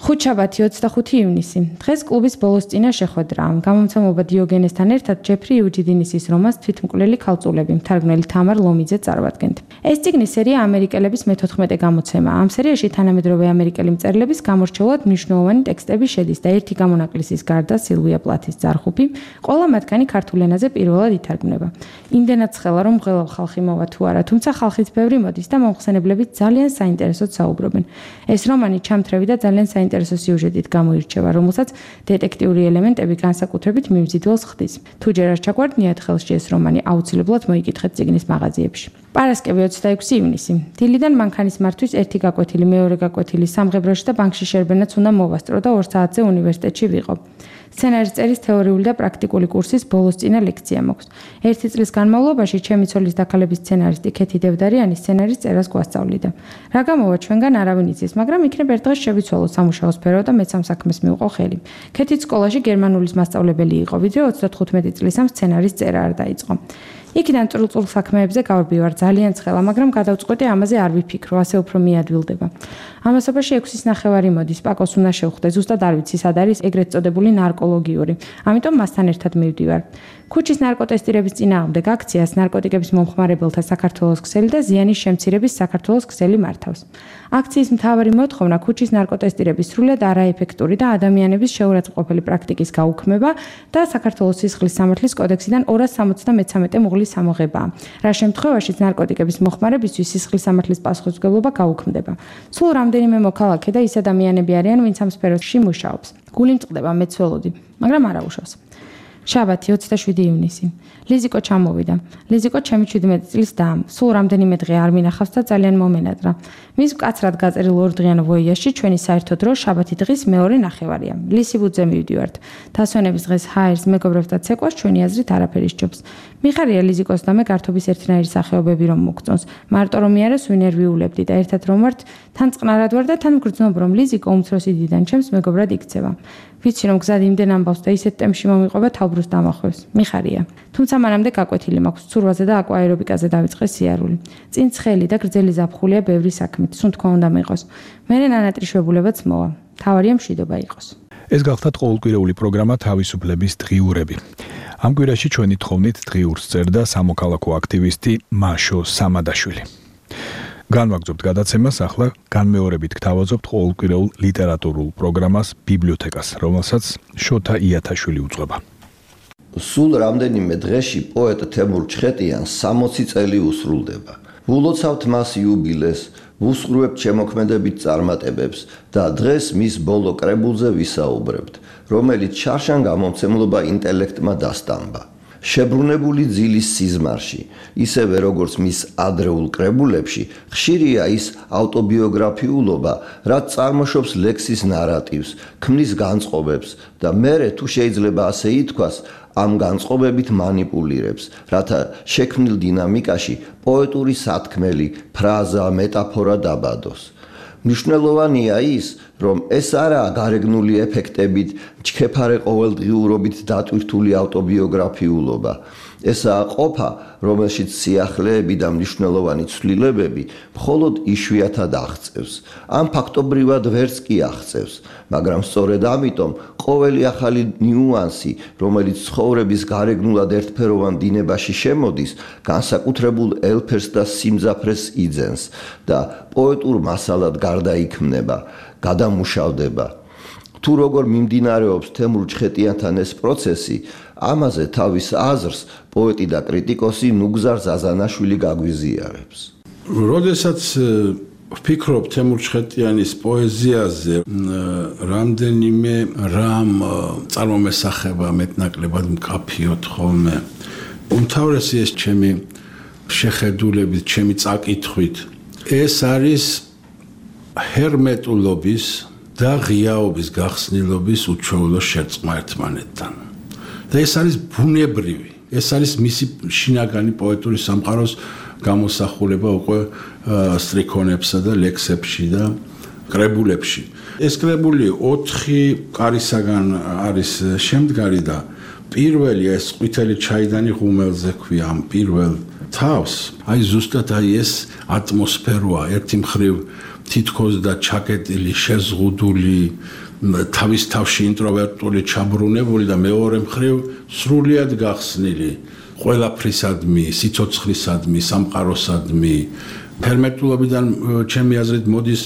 ხუთშაბათი ოცდახუთი ივნისი. დღეს კლუბის ბოლოს წინა შეხვედრა. გამომცემლობა დიოგენესთან ერთად ჯეფრი იუჯიდინისის რომანს თვითმკვლელი ქალწულები, მთარგმნელი თამარ ლომიძე წარვადგენთ. ეს წიგნის სერია ამერიკელების მეთოთხმეტე გამოცემა. ამ სერიაში თანამედროვე ამერიკელი მწერლების გამორჩეულად მნიშვნელოვანი ტექსტები შედის და ერთი გამონაკლისის გარდა სილვია პლათის ძარხუფი, ყველა მათგანი ქართულ ენაზე პირველად ითარგმნება. იმდენად ცხელა რომ მღელავ ხალხი მოვა თუ არა, თუმცა ხალხიც ბევრი მოდის და მომხსენებლებით ძალიან საინტერესოდ საუბრობენ. ეს რომანი ჩამთრევი და ძალიან საინტერესო სიუჟეტით გამოირჩევა, რომელსაც დეტექტიური ელემენტები განსაკუთრებით მიმზიდველს ხდის. თუ ჯერ არ ჩაგვარდნიათ ხელში ეს რომანი, აუცილებლად მოიკითხეთ წიგნის მაღაზიებში. პარასკევი ოცდაექვსი ივნისი. დილიდან მანქანის მართვის ერთი გაკვეთილი, მეორე გაკვეთილი სამღებროში და ბანკში შერბენაც უნდა მოვასწრო და ორ საათზე უნივერსიტეტში ვიყო. სცენარის წერის თეორიული და პრაქტიკული კურსის ბოლოსწინა ლექცია მაქვს. ერთი წლის განმავლობაში ჩემი ცოლის დაქალების სცენარისტი ქეთი დევდარიანი სცენარის წერას გვასწავლიდა. რა გამოვა ჩვენგან არავინ იცის, მაგრამ იქნებ ერთ დღეს შევიცვალო სამუშაო სფერო და მეც ამ საქმეს მივყო ხელი. ქეთიც სკოლაში გერმანულის მასწავლებელი იყო, ვიდრე ოცდათხუთმეტი წლის ამ სცენარის წერა არ დაიწყო. იქიდან წრულ-წრულ საქმეებზე გავარბივარ ძალიან ცხელა, მაგრამ გადავწყვეტე ამაზე არ ვიფიქრო, ასე უფრო მიადვილდება. ამასობაში ექვსის ნახევარი მოდის, პაკოს უნდა შევხვდე, ზუსტად არ ვიცი სად არის ეგრეთ წოდებული ნარკოლოგიური. ამიტომ მასთან ერთად მივდივარ. ქუჩის ნარკოტესტირების წინააღმდეგ აქციას ნარკოტიკების მომხმარებელთა საქართველოს ქსელი და ზიანის შემცირების საქართველოს ქსელი მართავს. აქციის მთავარი მოთხოვნა ქუჩის ნარკოტესტირების სრულად არაეფექტური და ადამიანების შეურაცხმყოფელი პრაქტიკის გაუქმება და საქართველოს სისხლის სამართლის კოდექსიდან ორას სამოცდამეცამეტე მუღლის სამოღებაა. რა შემთხვევაშიც ნარკოტიკების მოხმარებისთვის სისხლის სამართლის პასუხისმგებლობა გაუქმდება. სულ რამდენიმე მოქალაქე და ის ადამიანები არიან, ვინც ამ სფეროში მუშაობს. გული მწყდება, მეც ველოდი, მაგრამ არა უშავს. შაბათი ოცდაშვიდი ივნისი. ლიზიკო ჩამოვიდა. ლიზიკო ჩემი შვიდმეტი წლის და სულ რამდენიმე დღე არ მინახავს და ძალიან მომენადრა. მის მკაცრად გაწერილ ორდღიან ვოიაში ჩვენი საერთო დრო შაბათი დღის მეორე ნახევარია. ლისიბუძე მივდივართ. დასვენების დღეს ჰაერს მეგობრებთან ცეკვას ჩვენი აზრით არაფერი სჯობს. მიხარია ლიზიკოს და მე გართობის ერთნაირი სახეობები რომ მოგწონს. მარტო რომ მე არას ვინერვიულებდი და ერთად რომ ვართ, თან წყნარად ვარ და თან ვგრძნობ რომ ლიზიკო უმცროსი დიდან ჩემს მეგობრად იქცევა. ვიცი რომ გზად იმდენ ამბავს და ისეთ ტემპში მომიყვება თავბრუს დამახვევს. მიხარია. თუმცა მანამდე გაკვეთილი მაქვს ცურვაზე და აკვაერობიკაზე დავიწყე სიარული. წინ ცხელი და გრძელი ზაფხულია ბევრი საქმით, სუნთქვა უნდა მიიღოს. მერე ნანატრიშვებულებაც მოვა. თავარია მშვიდობა იყოს. ეს გახლავთ ყოველკვირეული პროგრამა თავისუფლების დღიურები. ამ კვირაში ჩვენი თხოვნით დღიურს წერდა სამოქალაქო აქტივისტი მაშო სამადაშვილი. განვაგრძობთ გადაცემას, ახლა განმეორებით გთავაზობთ ყოველკვირეულ ლიტერატურულ პროგრამას ბიბლიოთეკას, რომელსაც შოთა იათაშვილი უძღვება. სულ რამდენიმე დღეში პოეტ თემურ ჩხეტიანს სამოცი წელი უსრულდება. ვულოცავთ მას იუბილეს, ვუსხურვებთ შემოქმედებით წარმატებებს და დღეს მის ბოლო კრებულზე ვისაუბრებთ, რომელიც შარშან გამომცემლობა ინტელექტმა დასტამბა. შებრუნებული ძილის სიზმარში, ისევე როგორც მის ადრეულ კრებულებში, ხშირია ის ავტობიოგრაფიულობა, რაც წარმოშობს ლექსის ნარატივს, ქმნის განწყობებს და მერე თუ შეიძლება ასე ითქვას, ამ განწყობებით манипуლირებს, რათა შექმნილ დინამიკაში პოეტური სათქმელი, ფრაზა, მეტაფორა დაბადოს. მნიშვნელოვანია ის, რომ ეს არაა გარეგნული ეფექტებით, ჩქეფარე ყოველდღიურობით დატვირთული ავტობიოგრაფიულობა. ესაა ყოფა, რომელშიც სიახლეები და მნიშვნელოვანი ცვლილებები მხოლოდ იშვიათად აღწევს. ამ ფაქტობრივად ვერც კი აღწევს, მაგრამ სწორედ ამიტომ ყოველი ახალი ნიუანსი, რომელიც ცხოვრების გარეგნულად ერთფეროვან დინებაში შემოდის, განსაკუთრებულ ელფერს და სიმძაფრეს იძენს და პოეტურ მასალად გარდაიქმნება, გადამუშავდება. თუ როგორ მიმდინარეობს თემურ ჩხეტიანთან ეს პროცესი, ამაზე თავის აზრს პოეტი და კრიტიკოსი ნუგზარ ზაზანაშვილი გაგვიზიარებს. როდესაც ვფიქრობ თემურ ჩხეტიანის პოეზიაზე, რამდენიმე რამ წარმომესახება მეტნაკლებად მკაფიოდ ხოლმე. უმთავრესი ეს ჩემი შეხედულებით, ჩემი წაკითხვით, ეს არის ჰერმეტულობის და ღიაობის გახსნილობის უჩვეულო შერწყმა ერთმანეთთან. და ეს არის ბუნებრივი, ეს არის მისი შინაგანი პოეტური სამყაროს გამოსახულება უკვე სტრიქონებსა და ლექსებში და კრებულებში. ეს კრებული ოთხი კარისაგან არის შემდგარი და პირველი ეს ყვითელი ჩაიდანი ღუმელზე ქვია ამ პირველ თავს. აი ზუსტად აი ეს ატმოსფეროა, ერთი მხრივ თითქოს და ჩაკეტილი, შეზღუდული, თავის თავში ინტროვერტული, ჩაბრუნებული და მეორე მხრივ სრულიად გახსნილი ყველაფრისადმი, სიცოცხლისადმი, სამყაროსადმი. ფერმენტულობიდან ჩემი აზრით მოდის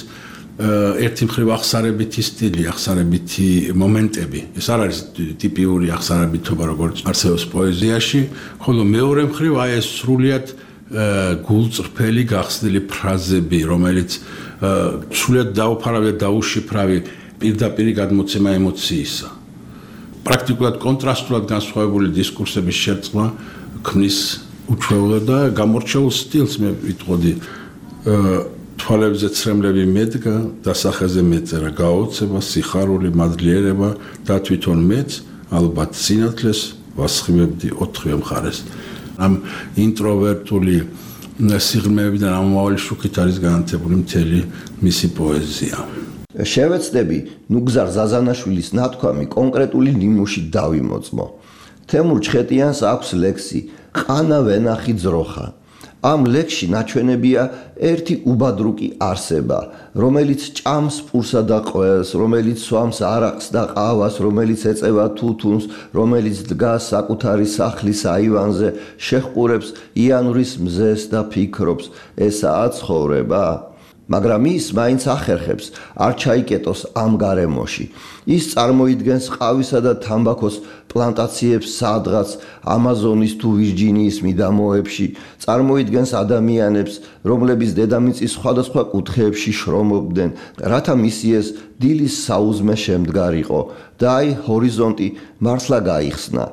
ერთი მხრივ ახსარებითი სტილი, ახსარებითი მომენტები. ეს არ არის ტიპიური ახსარებითობა, როგორც არსებობს პოეზიაში, ხოლო მეორე მხრივ აი ეს სრულიად გულწრფელი გახსნილი ფრაზები, რომელიც სრულიად დაუფარავი და დაუშიფრავი პირდაპირი გადმოცემა ემოციისა. პრაქტიკულად კონტრასტულად განსხვავებული დისკურსების შერწყმა ქმნის უჩვეულო და გამორჩეულ სტილს მე ვიტყოდი. თვალებზე ცრემლები მედგა, დასახეზე მეწერა, გაოცება, სიხარული, მადლიერება და თვითონ მეც ალბათ სინათლეს ვასხივებდი ოთხივე მხარეს. ამ ინტროვერტული სიღრმეებიდან ამავალი შუქით არის განათებული მთელი მისი პოეზია. შევეცდები ნუგზარ ზაზანაშვილის ნათქვამი კონკრეტული ნიმუში დავიმოწმო. თემურ ჩხეტიანს აქვს ლექსი ყანა ვენახი ძროხა. ამ ლექსში ნაჩვენებია ერთი უბადრუკი არსება, რომელიც ჭამს პურსა და ყველს, რომელიც სვამს არაყს და ყავას, რომელიც ეწევა თუთუნს, რომელიც დგას საკუთარი სახლის აივანზე, შეჰყურებს იანურის მზეს და ფიქრობს, ესაა ცხოვრება? მაგრამ ის მაინც ახერხებს არ ჩაიკეტოს ამ გარემოში. ის წარმოიდგენს ყავისა და თამბაქოს პლანტაციებს სადღაც ამაზონის თუ ვირჯინიის მიდამოებში, წარმოიდგენს ადამიანებს, რომლებიც დედამიწის სხვადასხვა კუთხეებში შრომობდნენ, რათა მისი ეს დილის საუზმე შემდგარიყო და აი ჰორიზონტი მართლა გაიხსნა.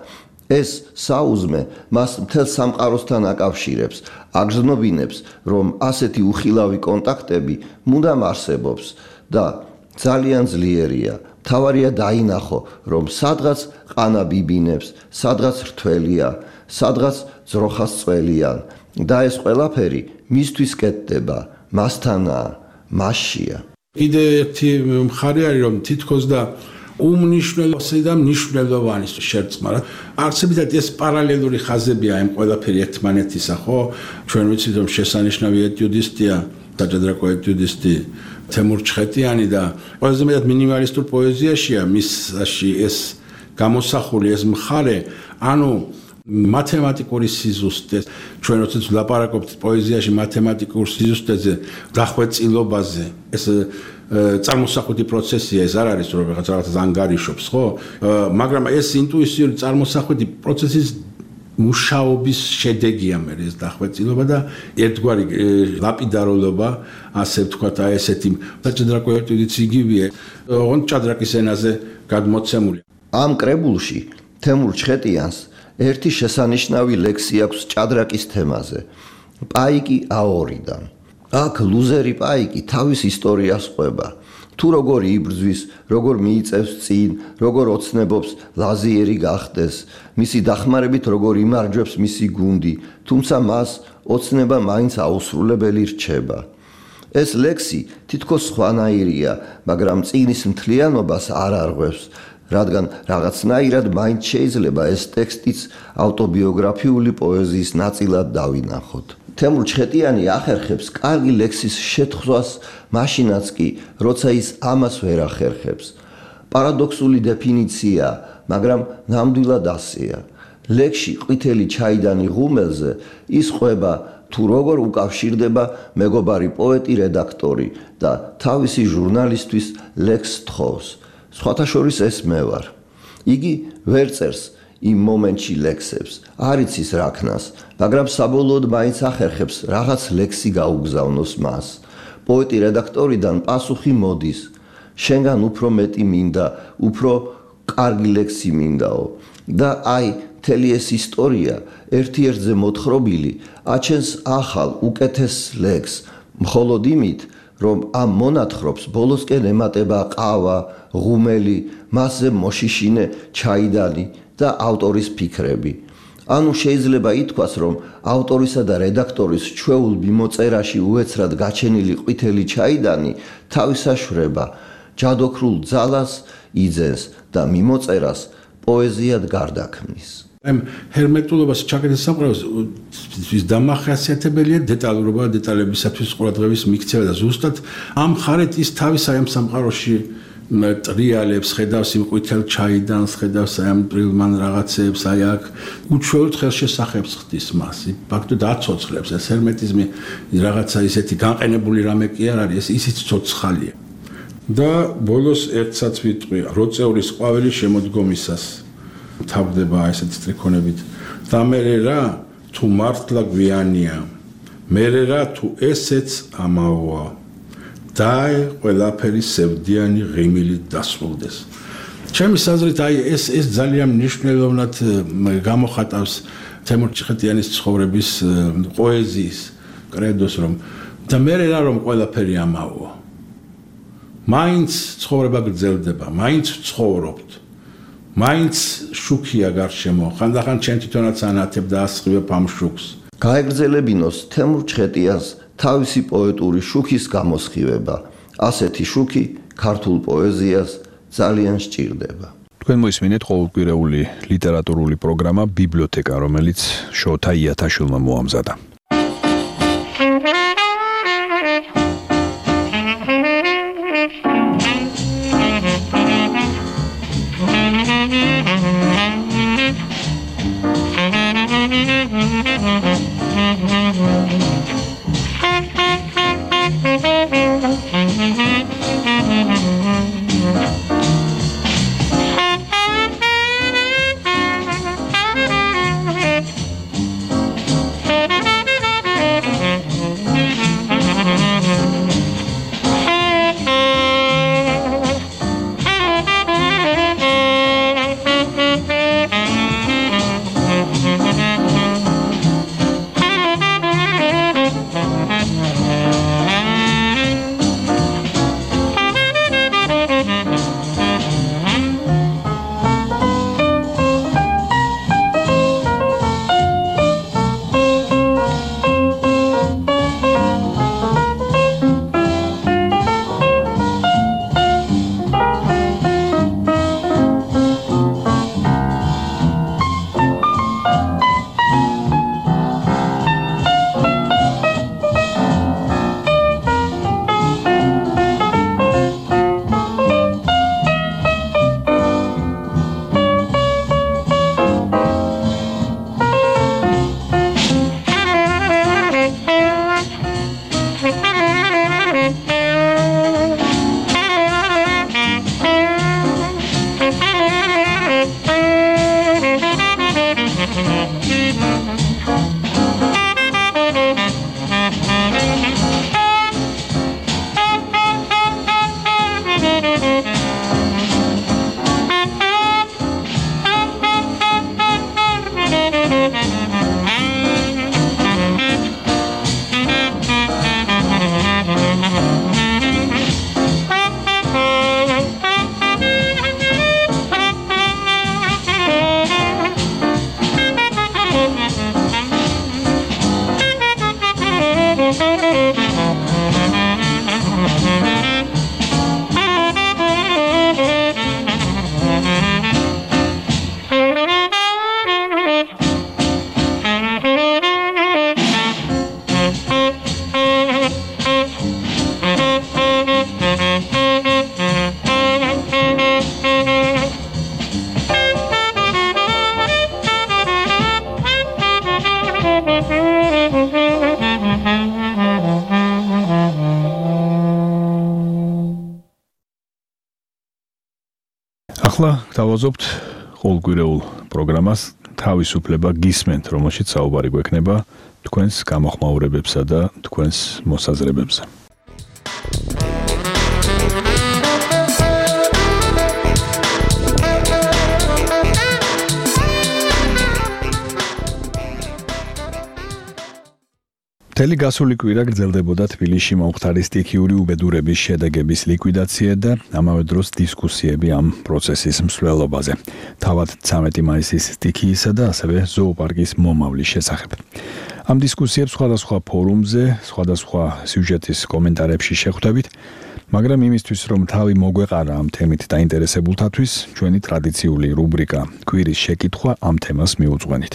ეს საუზმე მას მთელ სამყაროსთან აკავშირებს, აგრძნობინებს, რომ ასეთი უხილავი კონტაქტები მუდამ არსებობს და ძალიან ძლიერია. თავარია დაინახო, რომ სადღაც ყანა ბიბინებს, სადღაც რთველია, სადღაც ძროხას წველიან და ეს ყველაფერი მისთვის კეთდება, მასთანაა, მასშია. კიდე ერთი მხარე არის, რომ თითქოს და უმნიშვნელოვანესი და მნიშვნელოვანი შერწყმა. არსებითად ეს პარალელური ხაზებია იმ ყველაფერი ერთმანეთისა, ხო? ჩვენ ვიცით, რომ შესანიშნავი ეტიუდისტია, დაჭადრაკო ეტიუდისტი თემურ ჩხეტიანი და ყველაზე მეტად მინიმალისტურ პოეზიაშია მისში ეს გამოსახული ეს მხარე, ანუ მათემატიკური სიზუსტე. ჩვენ როდესაც ვლაპარაკობთ პოეზიაში მათემატიკურ სიზუსტეზე, დახვეწილობაზე, ეს წარმოსახვითი პროცესია, ეს არ არის რომ რაღაც რაღაცას ანგარიშობს, ხო? მაგრამ ეს ინტუიციური წარმოსახვითი პროცესის მუშაობის შედეგია მე ეს დახვეწილობა და ერთგვარი ლაპიდარულობა, ასე ვთქვათ, აი ესეთი დაჭადრაკო ეტიუდიც იგივეა, ოღონდ ჭადრაკის ენაზე გადმოცემული. ამ კრებულში თემურ ჩხეტიანს ერთი შესანიშნავი ლექსი აქვს ჭადრაკის თემაზე. პაიკი აორიდან. აქ ლუზერი პაიკი თავის ისტორიას ყვება. თუ როგორ იბრძვის, როგორ მიიწევს წინ, როგორ ოცნებობს ლაზიერი გახდეს, მისი დახმარებით როგორ იმარჯვებს მისი გუნდი, თუმცა მას ოცნება მაინც აუსრულებელი რჩება. ეს ლექსი თითქოს სხვანაირია, მაგრამ წინის მთლიანობას არ არღვევს, რადგან რაღაცნაირად მაინც შეიძლება ეს ტექსტიც ავტობიოგრაფიული პოეზიის ნაწილად დავინახოთ. თემურ ჩხეტიანი ახერხებს კარგი ლექსის შეთხზვას მაშინაც კი, როცა ის ამას ვერ ახერხებს. პარადოქსული დეფინიცია, მაგრამ ნამდვილად ასეა. ლექსში ყვითელი ჩაიდანი ღუმელზე ის ყვება თუ როგორ უკავშირდება მეგობარი პოეტი რედაქტორი და თავისი ჟურნალისტვის ლექს თხოვს. სხვათა შორის ეს მე ვარ. იგი ვერ წერს იმ მომენტში ლექსებს, არ იცის რა ქნას, მაგრამ საბოლოოდ მაინც ახერხებს რაღაც ლექსი გაუგზავნოს მას. პოეტი რედაქტორიდან პასუხი მოდის. შენგან უფრო მეტი მინდა, უფრო კარგი ლექსი მინდაო. და აი, მთელი ეს ისტორია ერთ-ერთზე მოთხრობილი აჩენს ახალ, უკეთეს ლექსს, მხოლოდ იმით, რომ ამ მონათხრობს ბოლოსკენ ემატება ყავა, ღუმელი, მასზე მოშიშინე ჩაიდანი და ავტორის ფიქრები. ანუ შეიძლება ითქვას, რომ ავტორისა და რედაქტორის ჩვეულ მიმოწერაში უეცრად გაჩენილი ყვითელი ჩაიდანი თავისაშვრება ჯადოქრულ ძალას იძენს და მიმოწერას პოეზიად გარდაქმნის. ამ ჰერმეტულობას ჩაკეტის სამყაროს ვის დამახასიათებელია დეტალურობა, დეტალებისათვის ყურადღების მიქცევა და ზუსტად ამ ხარეთ ის თავის აი ამ სამყაროში ტრიალებს, ხედავს იმ ყვითელ ჩაიდანს, ხედავს აი ამ ტრილმან რაღაცებს, აი აქ უჩვეულთ ხელშესახებს ხდის მას. ფაქტობრივად აცოცხლებს ეს ჰერმეტიზმი რაღაცა ისეთი განყენებული რამე კი არ არის, ეს ისიც ცოცხალია. და ბოლოს ერთსაც ვიტყვი, როწეულის ყვავილი შემოდგომისას თავდება ესეთი სტრიქონებით. და მე რა თუ მართლა გვიანია, მე რა თუ ესეც ამაოა. დაე ყველაფერი სევდიანი ღიმილით დასრულდეს. ჩემი საზრით აი ეს ეს ძალიან მნიშვნელოვნად გამოხატავს თემურ ჩიხეტიანის ცხოვრების პოეზიის კრედოს რომ და მე რა რომ ყველაფერი ამაოა. მაინც ცხოვრება გრძელდება, მაინც ცხოვრობთ. მაინც შუქია გარშემო, ხანდახან ჩემ თვითონაც ანათებ და ასხივებ ამ შუქს. გაეგრძელებინოს თემურ ჩხეტიანს თავისი პოეტური შუქის გამოსხივება. ასეთი შუქი ქართულ პოეზიას ძალიან სჭირდება. თქვენ მოისმინეთ ყოველკვირეული ლიტერატურული პროგრამა ბიბლიოთეკა, რომელიც შოთა იათაშვილმა მოამზადა. ახლა დავაზობთ ყოველკვირეულ პროგრამას თავისუფლება გისმენთ, რომელშიც საუბარი გვექნება თქვენს გამოხმაურებებსა და თქვენს მოსაზრებებზე. მთელი გასული კვირა გრძელდებოდა თბილისში მომხდარი სტიქიური უბედურების შედეგების ლიკვიდაცია და ამავე დროს დისკუსიები ამ პროცესის მსვლელობაზე. თავად ცამეტი მაისის სტიქიისა და ასევე ზოოპარკის მომავლის შესახებ. ამ დისკუსიებს სხვადასხვა ფორუმზე, სხვადასხვა სიუჟეტის კომენტარებში შეხვდებით. მაგრამ იმისთვის რომ თავი მოგვეყარა ამ თემით დაინტერესებულთათვის ჩვენი ტრადიციული რუბრიკა კვირის შეკითხვა ამ თემას მიუძღვენით.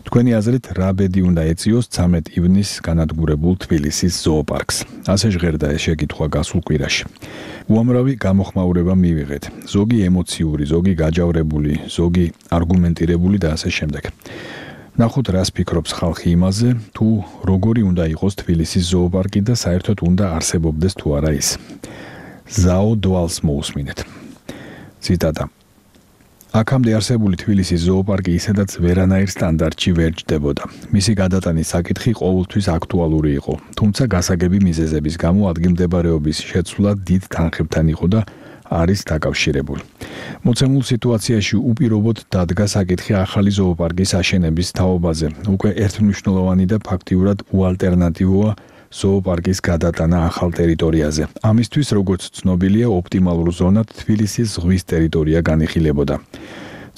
თქვენი აზრით რა ბედი უნდა ეწიოს ცამეტ ივნისს განადგურებულ თბილისის ზოოპარკს. ასე ჟღერდა ეს შეკითხვა გასულ კვირაში. უამრავი გამოხმაურება მივიღეთ. ზოგი ემოციური, ზოგი გაჯავრებული, ზოგი არგუმენტირებული და ასე შემდეგ. ნახოთ რას ფიქრობს ხალხი იმაზე, თუ როგორი უნდა იყოს თბილისის ზოოპარკი და საერთოდ უნდა არსებობდეს თუ არა ის. ზაო დვალს მოусმინეთ. ციტატა. აქამდე არსებული თბილისის ზოოპარკი ისედაც ვერანაირ სტანდარტში ვერ ჯდებოდა. მისი გადატანის საკითხი ყოველთვის აქტუალური იყო, თუმცა გასაგები მიზეზების გამო ადგილმდებარეობის შეცვლა დიდ თანხებთან იყო და არის დაკავშირებული. მოცემულ სიტუაციაში უპირობოდ დადგა საკითხი ახალი ზოოპარკის აშენების თაობაზე. უკვე ერთმნიშვნელოვანი და ფაქტიურად უალტერნატივოა ზოოპარკის გადატანა ახალ ტერიტორიაზე. ამისთვის, როგორც ცნობილია, ოპტიმალურ ზონად თბილისის ზღვის ტერიტორია განიხილებოდა.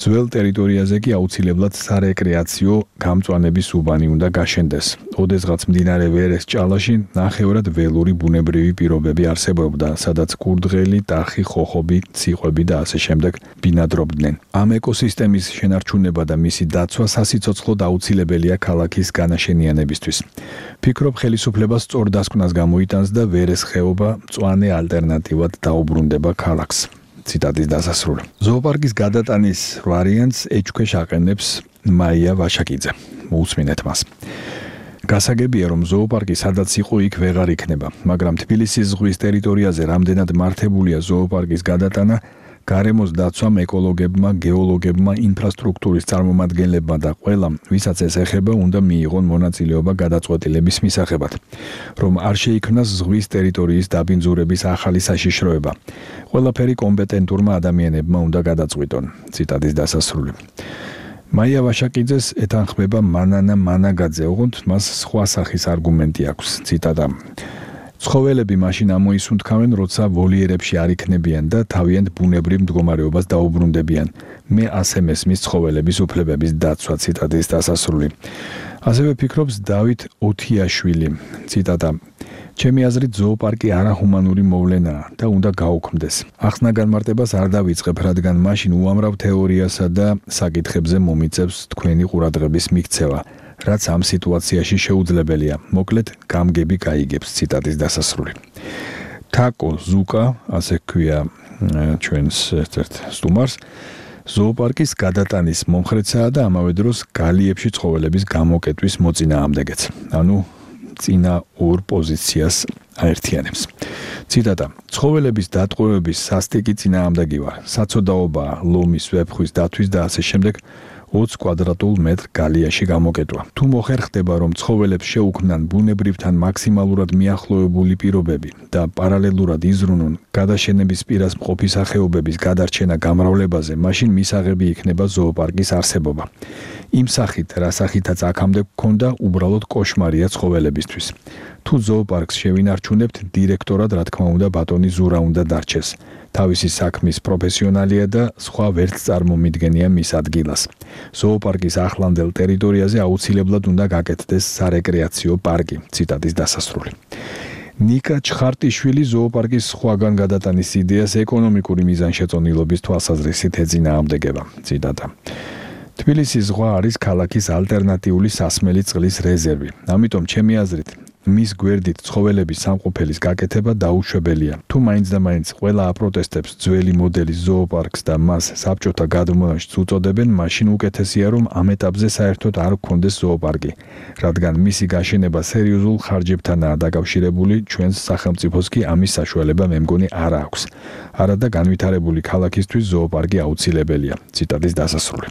ძველ ტერიტორიაზე კი აუცილებლად სარეკრეაციო გამწვანების უბანი უნდა გაშენდეს. ოდესღაც მდინარე ვერეს ჭალაში ნახევრად ველური ბუნებრივი პირობები არსებობდა, სადაც კურდღელი, ტახი, ხოხობი, ციყვები და ასე შემდეგ ბინადრობდნენ. ამ ეკოსისტემის შენარჩუნება და მისი დაცვა სასიცოცხლოდ აუცილებელია ქალაქის განაშენიანებისთვის. ფიქრობ, ხელისუფლებას სწორ დასკვნას გამოიტანს და ვერეს ხეობა მწვანე ალტერნატივად დაუბრუნდება ქალაქს. ციტატის დასასრული. ზოოპარკის გადატანის ვარიანტს ეჭქვეშ აყენებს მაია ვაშაკიძე. მოусმინეთ მას. გასაგებია, რომ ზოოპარკი სადაც იყო, იქ ვეღარ იქნება, მაგრამ თბილისის ზღვის ტერიტორიაზე რამდენად მართებულია ზოოპარკის გადატანა, გარემოს დაცვამ, ეკოლოგებმა, გეოლოგებმა, ინფრასტრუქტურის წარმომადგენლებმა და ყველამ, ვისაც ეს ეხება, უნდა მიიღონ მონაწილეობა გადაწყვეტილების მისაღებად, რომ არ შეიქმნას ზღვის ტერიტორიის დაბინძურების ახალი საშიშროება. ყველაფერი კომპეტენტურმა ადამიანებმა უნდა გადაწყვიტონ. ციტატის დასასრული. მაია ვაშაკიძეს ეთანხმება მანანა მანაგაძე, ოღონდ მას სხვა სახის არგუმენტი აქვს. ციტატა. ცხოველები მაშინ ამოისუნთქავენ, როცა ვოლიერებში არ იქნებიან და თავიანთ ბუნებრივ მდგომარეობას დაუბრუნდებიან. მე ასე მესმის ცხოველების უფლებების დაცვა. ციტატის დასასრული. ასევე ფიქრობს დავით ოთიაშვილი. ციტატა. ჩემი აზრით ზოოპარკი არაჰუმანური მოვლენაა და უნდა გაუქმდეს. ახსნა განმარტებას არ დავიწყებ, რადგან მაშინ უამრავ თეორიასა და საკითხებზე მომიწევს თქვენი ყურადღების მიქცევა. რაც ამ სიტუაციაში შეუძლებელია. მოკლედ, გამგები გაიგებს. ციტატის დასასრული. თაკო ზუკა, ასე ქვია ჩვენს ერთ-ერთ სტუმარს, ზოოპარკის გადატანის მომხრეცაა და ამავე დროს გალიებში ცხოველების გამოკეტვის მოწინააღმდეგეც. ანუ წინა ორ პოზიციას აერთიანებს. ციტატა. ცხოველების დატყვევების სასტიკი წინააღმდეგი ვარ. საცოდაობაა ლომის, ვეფხვის დათვის და ასე შემდეგ ოცი კვადრატულ მეტრ გალიაში გამოკეტვა. თუ მოხერხდება, რომ ცხოველებს შეუქმნან ბუნებრივთან მაქსიმალურად მიახლოებული პირობები და პარალელურად იზრუნონ გადაშენების პირას მყოფი სახეობების გადარჩენა გამრავლებაზე, მაშინ მისაღები იქნება ზოოპარკის არსებობა. იმ სახით, რა სახითაც აქამდე გქონდა, უბრალოდ კოშმარია ცხოველებისთვის. თუ ზოოპარკს შევინარჩუნებთ, დირექტორად, რა თქმა უნდა, ბატონი ზურა უნდა დარჩეს. თავისი საქმის პროფესიონალია და სხვა ვერც წარმომიდგენია მის ადგილას. ზოოპარკის ახლანდელ ტერიტორიაზე აუცილებლად უნდა გაკეთდეს სარეკრეაციო პარკი. ციტატის დასასრული. ნიკა ჩხარტიშვილი ზოოპარკის სხვაგან გადატანის იდეას ეკონომიკური მიზანშეწონილობის თვალსაზრისით ეწინააღმდეგება. ციტატა. თბილისის ზღვა არის ქალაქის ალტერნატიული სასმელი წყლის რეზერვი. ამიტომ ჩემი აზრით მის გვერდით ცხოველების სამყოფელის გაკეთება დაუშვებელია. თუ მაინც და მაინც ყველა აპროტესტებს ძველი მოდელის ზოოპარკს და მას საბჭოთა გადმონაშთს უწოდებენ, მაშინ უკეთესია, რომ ამ ეტაპზე საერთოდ არ გქონდეს ზოოპარკი, რადგან მისი გაშენება სერიოზულ ხარჯებთანაა დაკავშირებული, ჩვენს სახელმწიფოს კი ამის საშუალება მე მგონი არ აქვს. არადა განვითარებული ქალაქისთვის ზოოპარკი აუცილებელია. ციტატის დასასრული.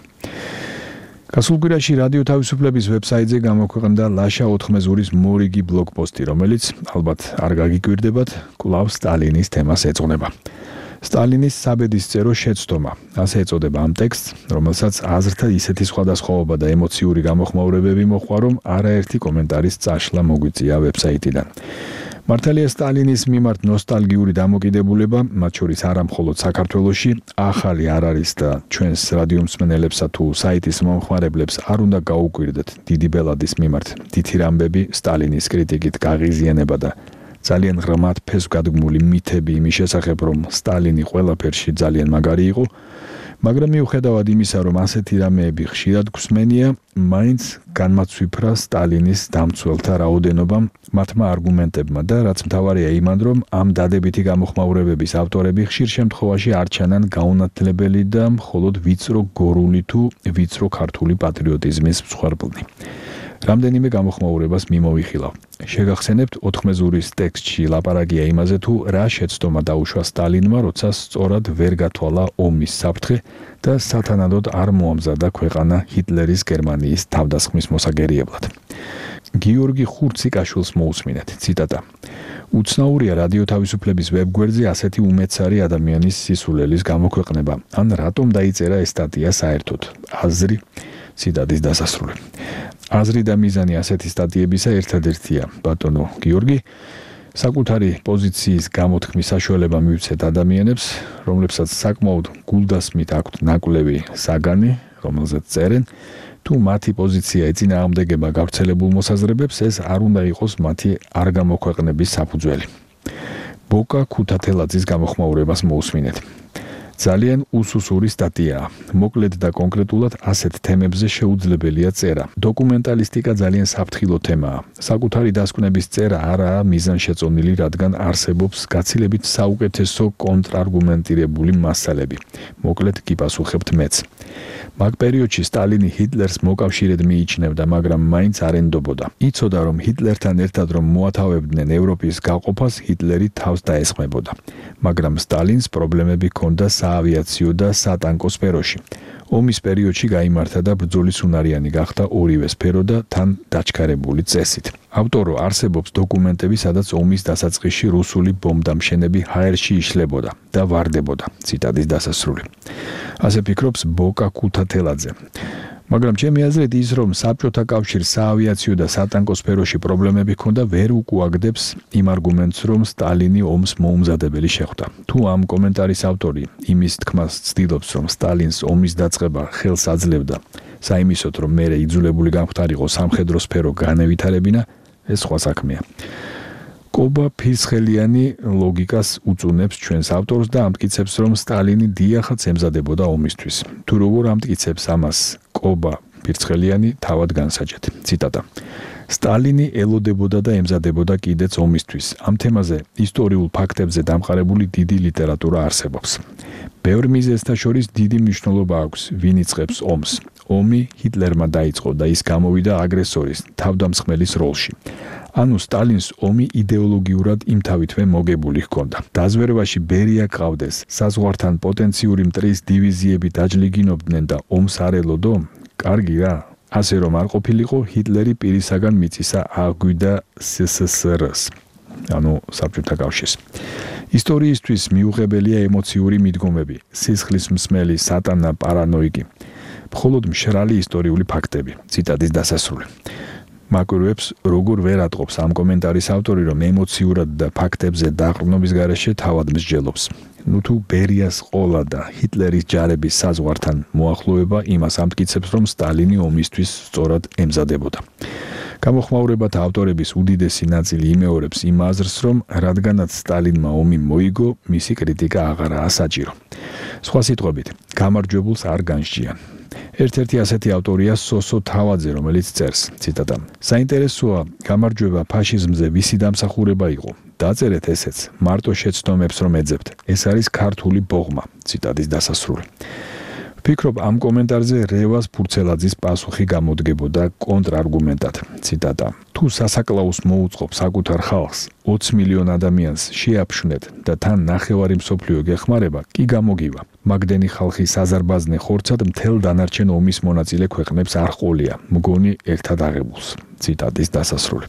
გასულ კვირაში რადიო თავისუფლების ვებსაიტზე გამოქვეყნდა ლაშა ოთხმეზურის მორიგი ბლოგპოსტი, რომელიც ალბათ არ გაგიკვირდებათ, კვლავ სტალინის თემას ეძღვნება. სტალინის საბედისწერო შეცდომა, ასე ეწოდება ამ ტექსტს, რომელსაც აზრთა ისეთი სხვადასხვაობა და ემოციური გამოხმაურებები მოჰყვა, რომ არაერთი კომენტარის წაშლა მოგვიწია ვებსაიტიდან. მართალია სტალინის მიმართ ნოსტალგიური დამოკიდებულება, მათ შორის არა მხოლოდ საქართველოში, ახალი არ არის და ჩვენს რადიომსმენელებსა თუ საიტის მომხმარებლებს არ უნდა გაუკვირდეთ დიდი ბელადის მიმართ. თითი რამბები სტალინის კრიტიკით გაღიზიანება და ძალიან ღრმად ფესვგადგმული მითები იმის შესახებ, რომ სტალინი ყველაფერში ძალიან მაგარი იყო, მაგრამ მიუხედავად იმისა, რომ ასეთი რამეები ხშირად გვსმენია, მაინც განმაცვიფრა სტალინის დამცველთა რაოდენობა მათმა არგუმენტებმა და რაც მთავარია იმან, რომ ამ დადებითი გამოხმაურებების ავტორები ხშირ შემთხვევაში არ ჩანან გაუნათლებელი და მხოლოდ ვიწრო გორული თუ ვიწრო ქართული პატრიოტიზმის მსხვერპლნი. რამდენიმე გამოხმაურებას მიმოვიხილავ. შეგახსენებთ ოთხმეზურის ტექსტში ლაპარაკია იმაზე, თუ რა შეცდომა დაუშვა სტალინმა, როცა სწორად ვერ გათვალა ომის საფრთხე და სათანადოდ არ მოამზადა ქვეყანა ჰიტლერის გერმანიის თავდასხმის მოსაგერიებლად. გიორგი ხურციკაშვილს მოусმინეთ, ციტატა. უცნაურია რადიო თავისუფლების ვებგვერდზე ასეთი უმეცარი ადამიანის სისულელის გამოქვეყნება. ან რატომ დაიწერა ეს სტატია საერთოდ? აზრი ციტატის დასასრული. აზრი და მიზანი ასეთი სტატიებისა ერთადერთია, ბატონო გიორგი, საკუთარი პოზიციის გამოთქმის საშუალება მივცეთ ადამიანებს, რომლებსაც საკმაოდ გულდასმით აქვთ ნაკვლევი საგანი, რომელზეც წერენ, თუ მათი პოზიცია ეწინააღმდეგება გავრცელებულ მოსაზრებებს, ეს არ უნდა იყოს მათი არ გამოქვეყნების საფუძველი. ბოკა ქუთათელაძის გამოხმაურებას მოусმინეთ. ძალიან უსუსური სტატიაა. მოკლედ და კონკრეტულად ასეთ თემებზე შეუძლებელია წერა. დოკუმენტალისტიკა ძალიან საფრთხილო თემაა. საკუთარი დასკვნების წერა არაა მიზანშეწონილი, რადგან არსებობს გაცილებით საუკეთესო კონტრარგუმენტირებული მასალები. მოკლედ გიპასუხებთ მეც. მაგ პერიოდში სტალინი ჰიტლერს მოკავშირედ მიიჩნევდა, მაგრამ მაინც არ ენდობოდა. იცოდა, რომ ჰიტლერთან ერთად რომ მოათავებდნენ ევროპის გაყოფას, ჰიტლერი თავს დაესხმებოდა. მაგრამ სტალინს პრობლემები ჰქონდა საავიაციო და სატანკო სფეროში. ომის პერიოდში გაიმართა და ბრძოლის უნარიანი გახდა ორივე სფერო და თან დაჩქარებული წესით. ავტორო, არსებობს დოკუმენტები, სადაც ომის დასაწყისში რუსული ბომბდამშენები ჰაერში იშლებოდა და ვარდებოდა. ციტატის დასასრული. ასე ფიქრობს ბოკა ქუთათელაძე. მაგრამ ჩემი აზრით ის, რომ საბჭოთა კავშირს საავიაციო და სატანკო სფეროში პრობლემები ჰქონდა, ვერ უკუაგდებს იმ არგუმენტს, რომ სტალინი ომს მოუმზადებელი შეხვდა. თუ ამ კომენტარის ავტორი იმის თქმას ცდილობს, რომ სტალინს ომის დაწყება ხელს აძლევდა, საიმისოდ, რომ მერე იძულებული გამხდარიყო სამხედრო სფერო განევითარებინა, ეს სხვა საქმეა. კობა ფირცხელიანი ლოგიკას უწუნებს ჩვენს ავტორს და ამტკიცებს, რომ სტალინი დიახაც ემზადებოდა ომისთვის. თუ როგორ ამტკიცებს ამას კობა ფირცხელიანი, თავად განსაჯეთ. ციტატა. სტალინი ელოდებოდა და ემზადებოდა კიდეც ომისთვის. ამ თემაზე ისტორიულ ფაქტებზე დამყარებული დიდი ლიტერატურა არსებობს. ბევრ მიზეზთა შორის დიდი მნიშვნელობა აქვს, ვინ იწყებს ომს. ომი ჰიტლერმა დაიწყო და ის გამოვიდა აგრესორის, თავდამსხმელის როლში. ანუ სტალინს ომი იდეოლოგიურად იმთავითვე მოგებული ჰქონდა. დაზვერვაში ბერია ყავდეს, საზღვართან პოტენციური მტრის დივიზიები დაჯლიგინობდნენ და ომს არ ელოდო? კარგი რა. ასე რომ არ ყოფილიყო, ჰიტლერი პირისაგან მიწისა აღვიდა სსსრ-ს, ანუ საბჭოთა კავშირს. ისტორიისთვის მიუღებელია ემოციური მიდგომები, სისხლის მსმელი, სატანა, პარანოიკი. მხოლოდ მშრალი ისტორიული ფაქტები. ციტატის დასასრული. მაკვირვებს როგორ ვერ ატყობს ამ კომენტარის ავტორი, რომ ემოციურად და ფაქტებზე დაყრდნობის გარეშე თავად მსჯელობს. ნუ თუ ბერიას ყოლა და ჰიტლერის ჯარების საზღვართან მოახლოება იმას ამტკიცებს, რომ სტალინი ომისთვის სწორად ემზადებოდა. გამოხმაურებათა ავტორების უდიდესი ნაწილი იმეორებს იმ აზრს, რომ რადგანაც სტალინმა ომი მოიგო, მისი კრიტიკა აღარაა საჭირო. სხვა სიტყვებით, გამარჯვებულს არ განსჯიან. ერთ-ერთი ასეთი ავტორია სოსო თავაძე, რომელიც წერს, ციტატა. საინტერესოა, გამარჯვება ფაშიზმზე ვისი დამსახურება იყო. დაწერეთ ესეც, მარტო შეცდომებს რომ ეძებთ. ეს არის ქართული ბოღმა. ციტატის დასასრული. ვფიქრობ, ამ კომენტარზე რევას ფურცელაძის პასუხი გამოდგებოდა კონტრარგუმენტად. ციტატა. თუ სასაკლაუს მოუწყობ საკუთარ ხალხს, ოცი მილიონ ადამიანს შეაფშვნეთ და თან ნახევარი მსოფლიო გეხმარება, კი გამოგივა. მაგდენი ხალხი საზარბაზნე ხორცად მთელ დანარჩენ ომის მონაწილე ქვეყნებს არ ყოლია, მგონი ერთად აღებულს. ციტატის დასასრული.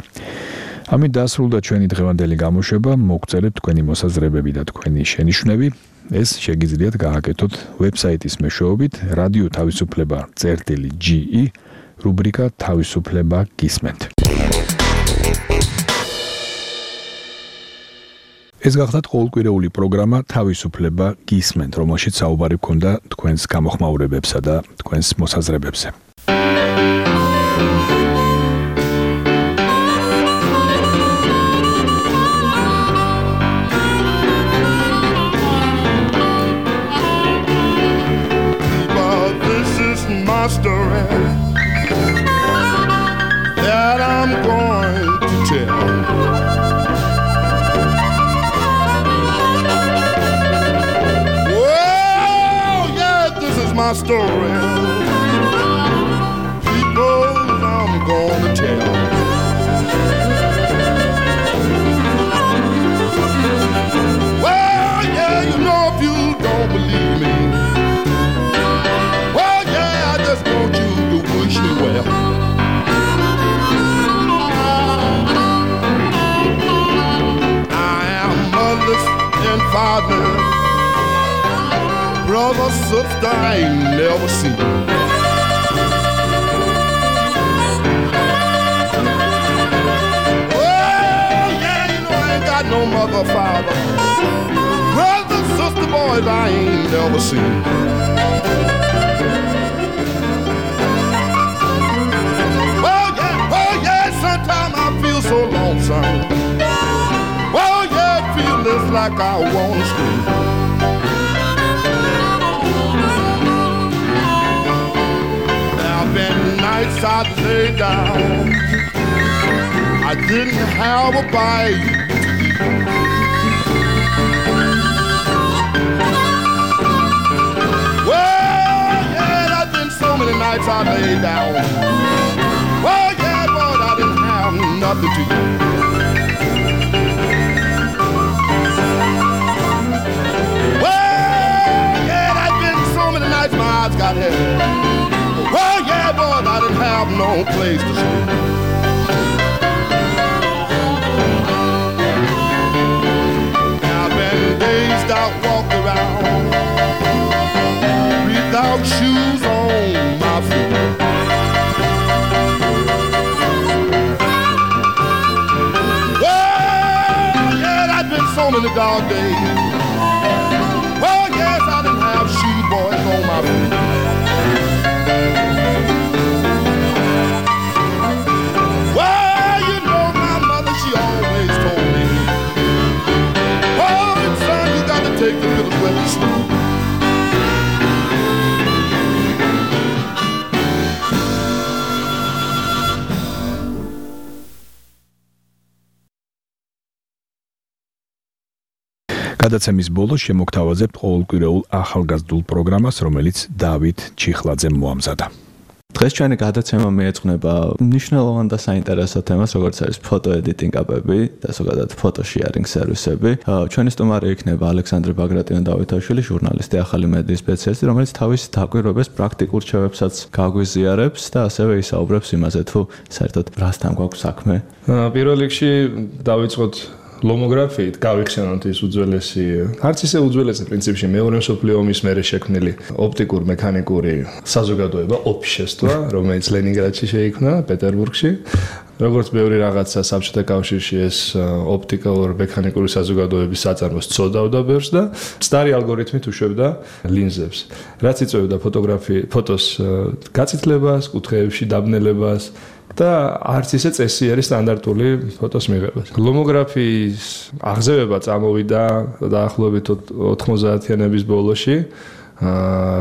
ამით დასრულდა ჩვენი დღევანდელი გამოშვება. მოგწერეთ თქვენი მოსაზრებები და თქვენი შენიშვნები. ეს შეგიძლიათ გააკეთოთ ვებსაიტის მეშვეობით რადიო თავისუფლება წერტილი ჯი ი რუბრიკა თავისუფლება გისმენთ. ეს გახდათ ყოველკვირეული პროგრამა თავისუფლება გისმენთ, რომელშიც საუბარი გქონდა თქვენს გამოხმაურებებსა და თქვენს მოსაზრებებზე. here's my story. People, I'm gonna tell. Well, yeah, you know if you don't believe me. Well, yeah, I just want you to wish me well. I am motherless and fatherless. Brother, sister, I ain't never seen. Oh, yeah, you know I ain't got no mother, father. Brother, sister, boys, I ain't never seen. Well, yeah, oh, yeah, sometimes I feel so lonesome. Well, yeah, it feels just like I wanna scream. Been nights I'd lay down, I didn't have a bite to eat. Well, yeah, there's been so many nights I lay down. Well, yeah, but I didn't have nothing to eat. Well, yeah, there's been so many nights my eyes got heavy. Well, yeah, boy, I didn't have no place to sleep. I've been dazed out, walked around without shoes on my feet. Well, yeah, I've been so many dark days. Well, yes, I didn't have shoes, boys, on my feet. Well, you know my mother, she always told me, oh, son, you got to take the pills when you sleep. გადაცემის ბოლოს შემოგთავაზებთ ყოველკვირეულ ახალგაზრდულ პროგრამას, რომელიც დავით ჩიხლაძემ მოამზადა. დღეს ჩვენი გადაცემა მიეძღვნება მნიშვნელოვან და საინტერესო თემას, როგორც არის ფოტო ედიტინგ აპები და ზოგადად ფოტო შეარინგ სერვისები. ჩვენი სტუმარი იქნება ალექსანდრე ბაგრატიონ დავითაშვილი, ჟურნალისტი, ახალი მედიის სპეციალისტი, რომელიც თავის დაკვირვებებს პრაქტიკულ რჩევებსაც გაგვიზიარებს და ასევე ისაუბრებს იმაზე, თუ საერთოდ რასთან გვაქვს საქმე. პირველ რიგში დავიწყოთ ლომოგრაფიით, გავიხსენოთ ის უძველესი, არც ისე უძველესი პრინციპში მეორე მსოფლიო ომის მერე შექმნილი ოპტიკურ-მექანიკური საზოგადოება ოფშესტვა, რომელიც ლენინგრადში შეიქმნა, პეტერბურგში. როგორც ბევრი რაღაცა საბჭოთა კავშირში ეს ოპტიკურ-მექანიკური საზოგადოების საწარმოს წოდავდა ბევრს და მცდარი ალგორითმით უშვებდა ლინზებს. რაც იწვევდა ფოტოგრაფი, ფოტოს გაწითლებას, კუთხეებში დაბნელებას და არც ისე წესიერი სტანდარტული ფოტოს მიღებას. ლომოგრაფიის აღზევება წამოვიდა დაახლოებით ოთხმოცდაათიანების ბოლოში,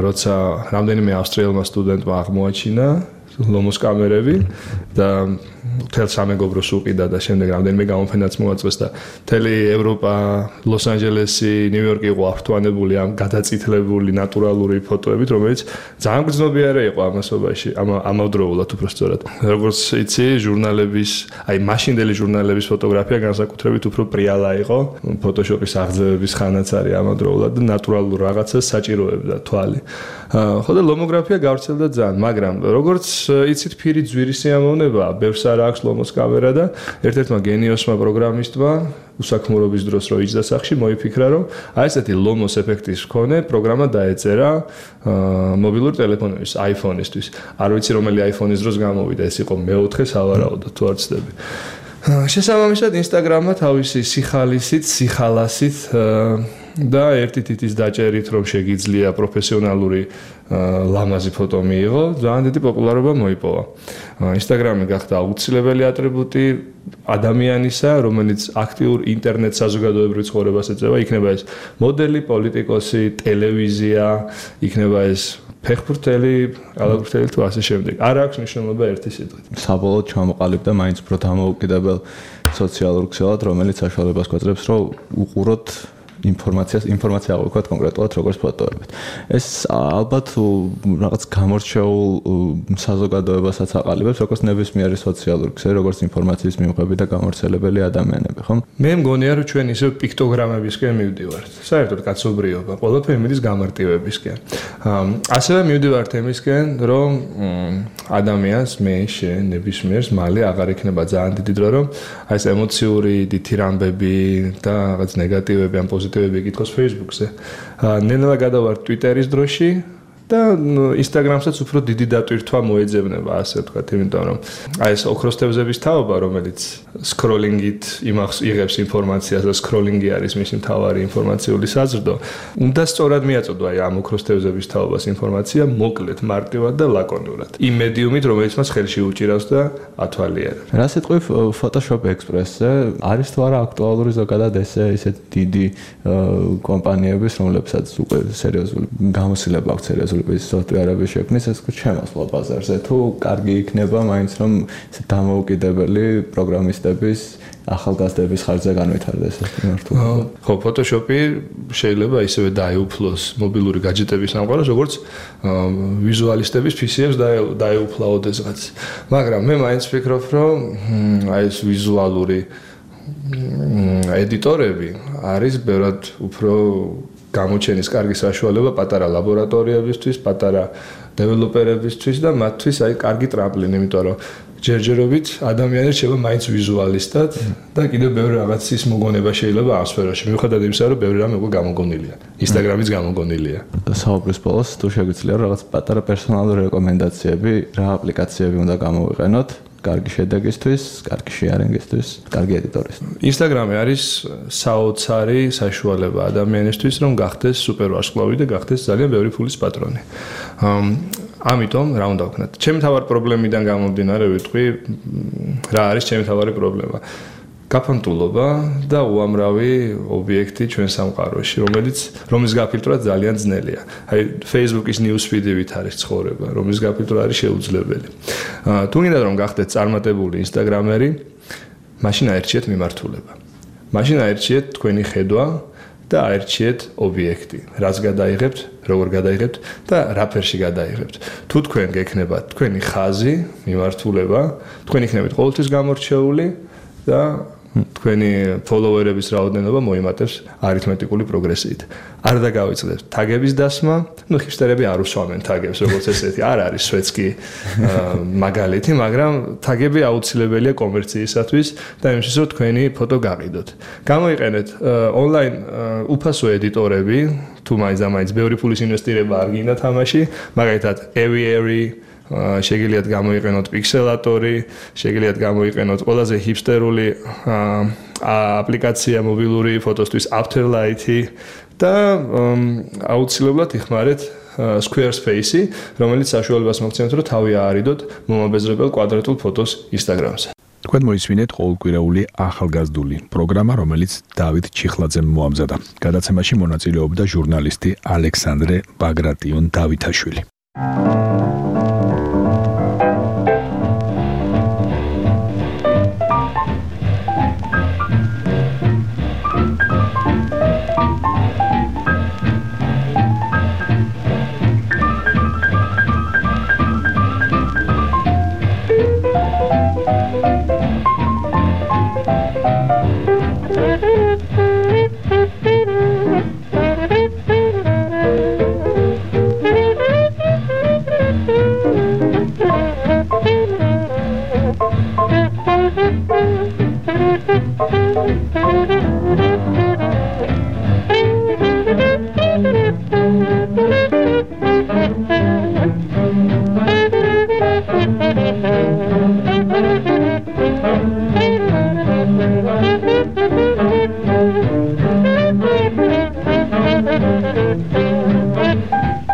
როცა რამდენიმე ავსტრიელმა სტუდენტმა აღმოაჩინა ლომოს კამერები და მთელ სამეგობროს უყიდა და შემდეგ რამდენიმე გამოფენაც მოაწყვეს და მთელი ევროპა, ლოს-ანჯელესი, ნიუ-იორკი იყო ართვანებული ამ გადაწითლებული ნატურალური ფოტოებით, რომელიც ძალიან გრძნობიარე იყო ამასობაში, ამავდროულად უბრალოდ. როგორც იცი, ჟურნალების, აი მაშინდელი ჟურნალების ფოტოგრაფია განსაკუთრებით უფრო პრიალა იყო, ფოტოშოპის აღზევების ხანაც არის ამავდროულად და ნატურალურ რაღაცას საჭიროებდა თვალი. ხო და ლომოგრაფია გავრცელდა ძალიან, მაგრამ როგორც იცით, ფირი ძვირი სიამოვნება, ბევრს არ აქვს ლომოს კამერა და ერთ-ერთმა გენიოსმა პროგრამისტმა უსაქმურობის დროს რო იჯდა სახში მოიფიქრა, რომ აი ესეთი ლომოს ეფექტის მქონე პროგრამა დაეწერა მობილურ ტელეფონების, iPhone-ისთვის. არ ვიცი რომელი iPhone-ის დროს გამოვიდა, ეს იყო მეოთხე სავარაუდოდ, თუ არ ვცდები. შესაბამისად Instagram-მა თავისი სიხალისით, სიხალასით და ერთი თითის დაჭერით რომ შეგიძლია პროფესიონალური ლამაზი ფოტო მიიღო, ძალიან დიდი პოპულარობა მოიპოვა. Instagram-ი გახდა აუცილებელი ატრიბუტი ადამიანისა, რომელიც აქტიურ ინტერნეტ საზოგადოებრივ ცხოვრებას ეწევა, იქნება ეს მოდელი, პოლიტიკოსი, ტელევიზია, იქნება ეს ფეხბურთელი, კალათბურთელი თუ ასე შემდეგ. არ აქვს მნიშვნელობა ერთი სიტყვით. საბოლოოდ ჩამოყალიბდა მაინც უფრო დამოუკიდებელ სოციალურ ქსელად, რომელიც საშუალებას გვაძლევს, რომ უყუროთ ინფორმაციას, ინფორმაცია აღვიქვათ კონკრეტულად როგორც ფოტოებით. ეს ალბათ რაღაც გამორჩეულ საზოგადოებასაც აყალიბებს, როგორც ნებისმიერი სოციალური ქსელი, როგორც ინფორმაციის მიღები და გამორჩელებელი ადამიანები, ხო? მე მგონია, რომ ჩვენ ისევ პიქტოგრამებისკენ მივდივართ. საერთოდ კაცობრიობა, ყველაფერი მიდის გამარტივებისკენ. ასევე მივდივართ იმისკენ, რომ ადამიანს მე შენ ნებისმიერს მალე აღარ იქნება ძალიან დიდი დრო, რომ აი ეს ემოციური დიდი რამბები და რაღაც ნეგატივები ან პოზიტივები იკითხოს Facebook-ზე. ნელა გადავართ Twitter-ის დროში და Instagram-საც უფრო დიდი დატვირთვა მოეძებნება, ასე ვთქვათ, იმიტომ რომ აი ეს ოქროს თევზების თაობა, რომელიც scrolling-ით იმახს იღებს ინფორმაციას და scrolling-ი არის მისი მთავარი ინფორმაციული საზრდო, უნდა სწორად მიაწოდო აი ამ ოქროს თევზების თაობას ინფორმაცია მოკლედ, მარტივად და ლაკონურად. იმ მედიუმით, რომელიც მას ხელში უჭირავს და ათვალიერებს. რა სიტყვი Photoshop Express-ზე არის თუ არა აქტუალური ზოგადად ესე ისეთ დიდი კომპანიების, რომლებსაც უკვე სერიოზული გამოსილება აქვს სერიოზული სოფტვერების შექმნის, ეს შემოსვლა ბაზარზე თუ კარგი იქნება მაინც რომ დამოუკიდებელი პროგრამისტების ახალგაზრდების ხარჯზე განვითარდეს ეს მიმართულება. ხო, Photoshop-ი შეიძლება ისევე დაეუფლოს მობილური გაჯეტების სამყაროს, როგორც ვიზუალისტების P C-ებს დაეუფლა ოდესღაც. მაგრამ მე მაინც ვფიქრობ, რომ აი ეს ვიზუალური ედიტორები არის ბევრად უფრო გამოჩენის კარგი საშუალება პატარა ლაბორატორიებისთვის, პატარა დეველოპერებისთვის და მათთვის აი კარგი ტრამპლინი, იმიტომ რომ ჯერჯერობით ადამიანებს შეიძლება მაინც ვიზუალისტად და კიდევ ბევრი რაღაცის მოგონება შეიძლება ამ სფეროში. მიუხედავად იმისა, რომ ბევრი რამე უკვე გამოგონილია. Instagram-იც გამოგონილია. საუბრის ბოლოს თუ შეგვიძლია რაღაც პატარა პერსონალური რეკომენდაციები, რა აპლიკაციები უნდა გამოვიყენოთ კარგი შედეგისთვის, კარგი შეარენგისთვის, კარგი ედიტორისთვის. Instagram-ი არის საოცარი საშუალება ადამიანისთვის, რომ გახდეს სუპერვარსკვლავი და გახდეს ძალიან ბევრი ფულის პატრონი. ამიტომ რა უნდა ვქნათ? ჩემი თავარი პრობლემიდან გამომდინარე ვიტყვი, რა არის ჩემი თავარი პრობლემა? გაფანტულობა და უამრავი ობიექტი ჩვენ სამყაროში, რომელიც რომლის გაფილტრა ძალიან ძნელია. აი Facebook-ის news feed-ით არის ცხოვრება, რომლის გაფილტრა არის შეუძლებელი. თუ გინდა რომ გახდეთ წარმატებული Instagram-ერი, მაშინ აერჩიეთ მიმართულება. მაშინ აერჩიეთ თქვენი ხედვა და აერჩიეთ ობიექტი, რაც გადაიღებთ, როგორ გადაიღებთ და რა ფერში გადაიღებთ. თუ თქვენ გექნებათ თქვენი ხაზი, მიმართულება, თქვენ იქნებით ყოველთვის გამორჩეული და თქვენი ფოლოვერების რაოდენობა მოიმატებს არითმეტიკული პროგრესიით. არ დაგავიწყდებთ თაგების დასმა, ну ჰიპსტერები არ უსვამენ თაგებს, როგორც ესეთი, არ არის სვეცკი მაგალითი, მაგრამ თაგები აუცილებელია კომერციისათვის და იმისთვის, რომ თქვენი ფოტო გაყიდოთ. გამოიყენეთ ონლაინ უფასო ედიტორები, თუ მაინც და მაინც ბევრი ფულის ინვესტირება არ გინდა თამაში, მაგალითად Aviary შეგიძლიათ გამოიყენოთ პიქსელატორი, შეგიძლიათ გამოიყენოთ ყველაზე ჰიპსტერული აპლიკაცია მობილური ფოტოსთვის Afterlight-ი და აუცილებლად იხმარეთ Squarespace-ი, რომელიც საშუალებას მოგცემთ, რომ თავი აარიდოთ მომაბეზრებელ კვადრატულ ფოტოს Instagram-ზე. თქვენ მოისმინეთ ყოველკვირეული ახალგაზრდული პროგრამა, რომელიც დავით ჩიხლაძემ მოამზადა. გადაცემაში მონაწილეობდა ჟურნალისტი ალექსანდრე ბაგრატიონ დავითაშვილი.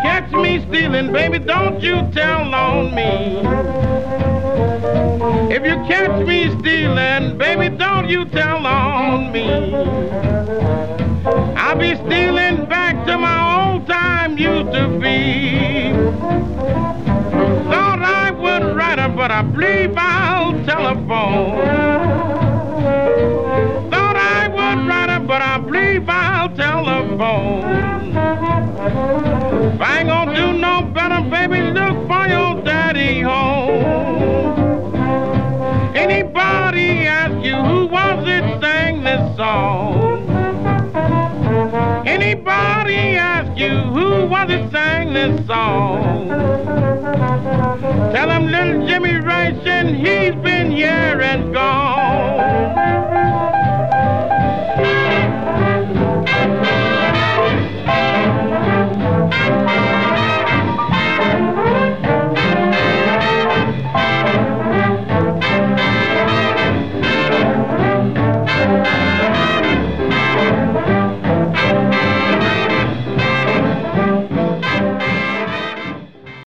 Catch me stealing, baby, don't you tell on me. If you catch me stealing, baby, don't you tell on me. I'll be stealing back to my old time used to be. Thought I would write her, but I believe I'll telephone. Thought I would write her, but I believe I'll telephone. baby, look for your daddy home. Anybody ask you who was it sang this song? Anybody ask you who was it sang this song? Tell him little Jimmy Rice and he's been here and gone.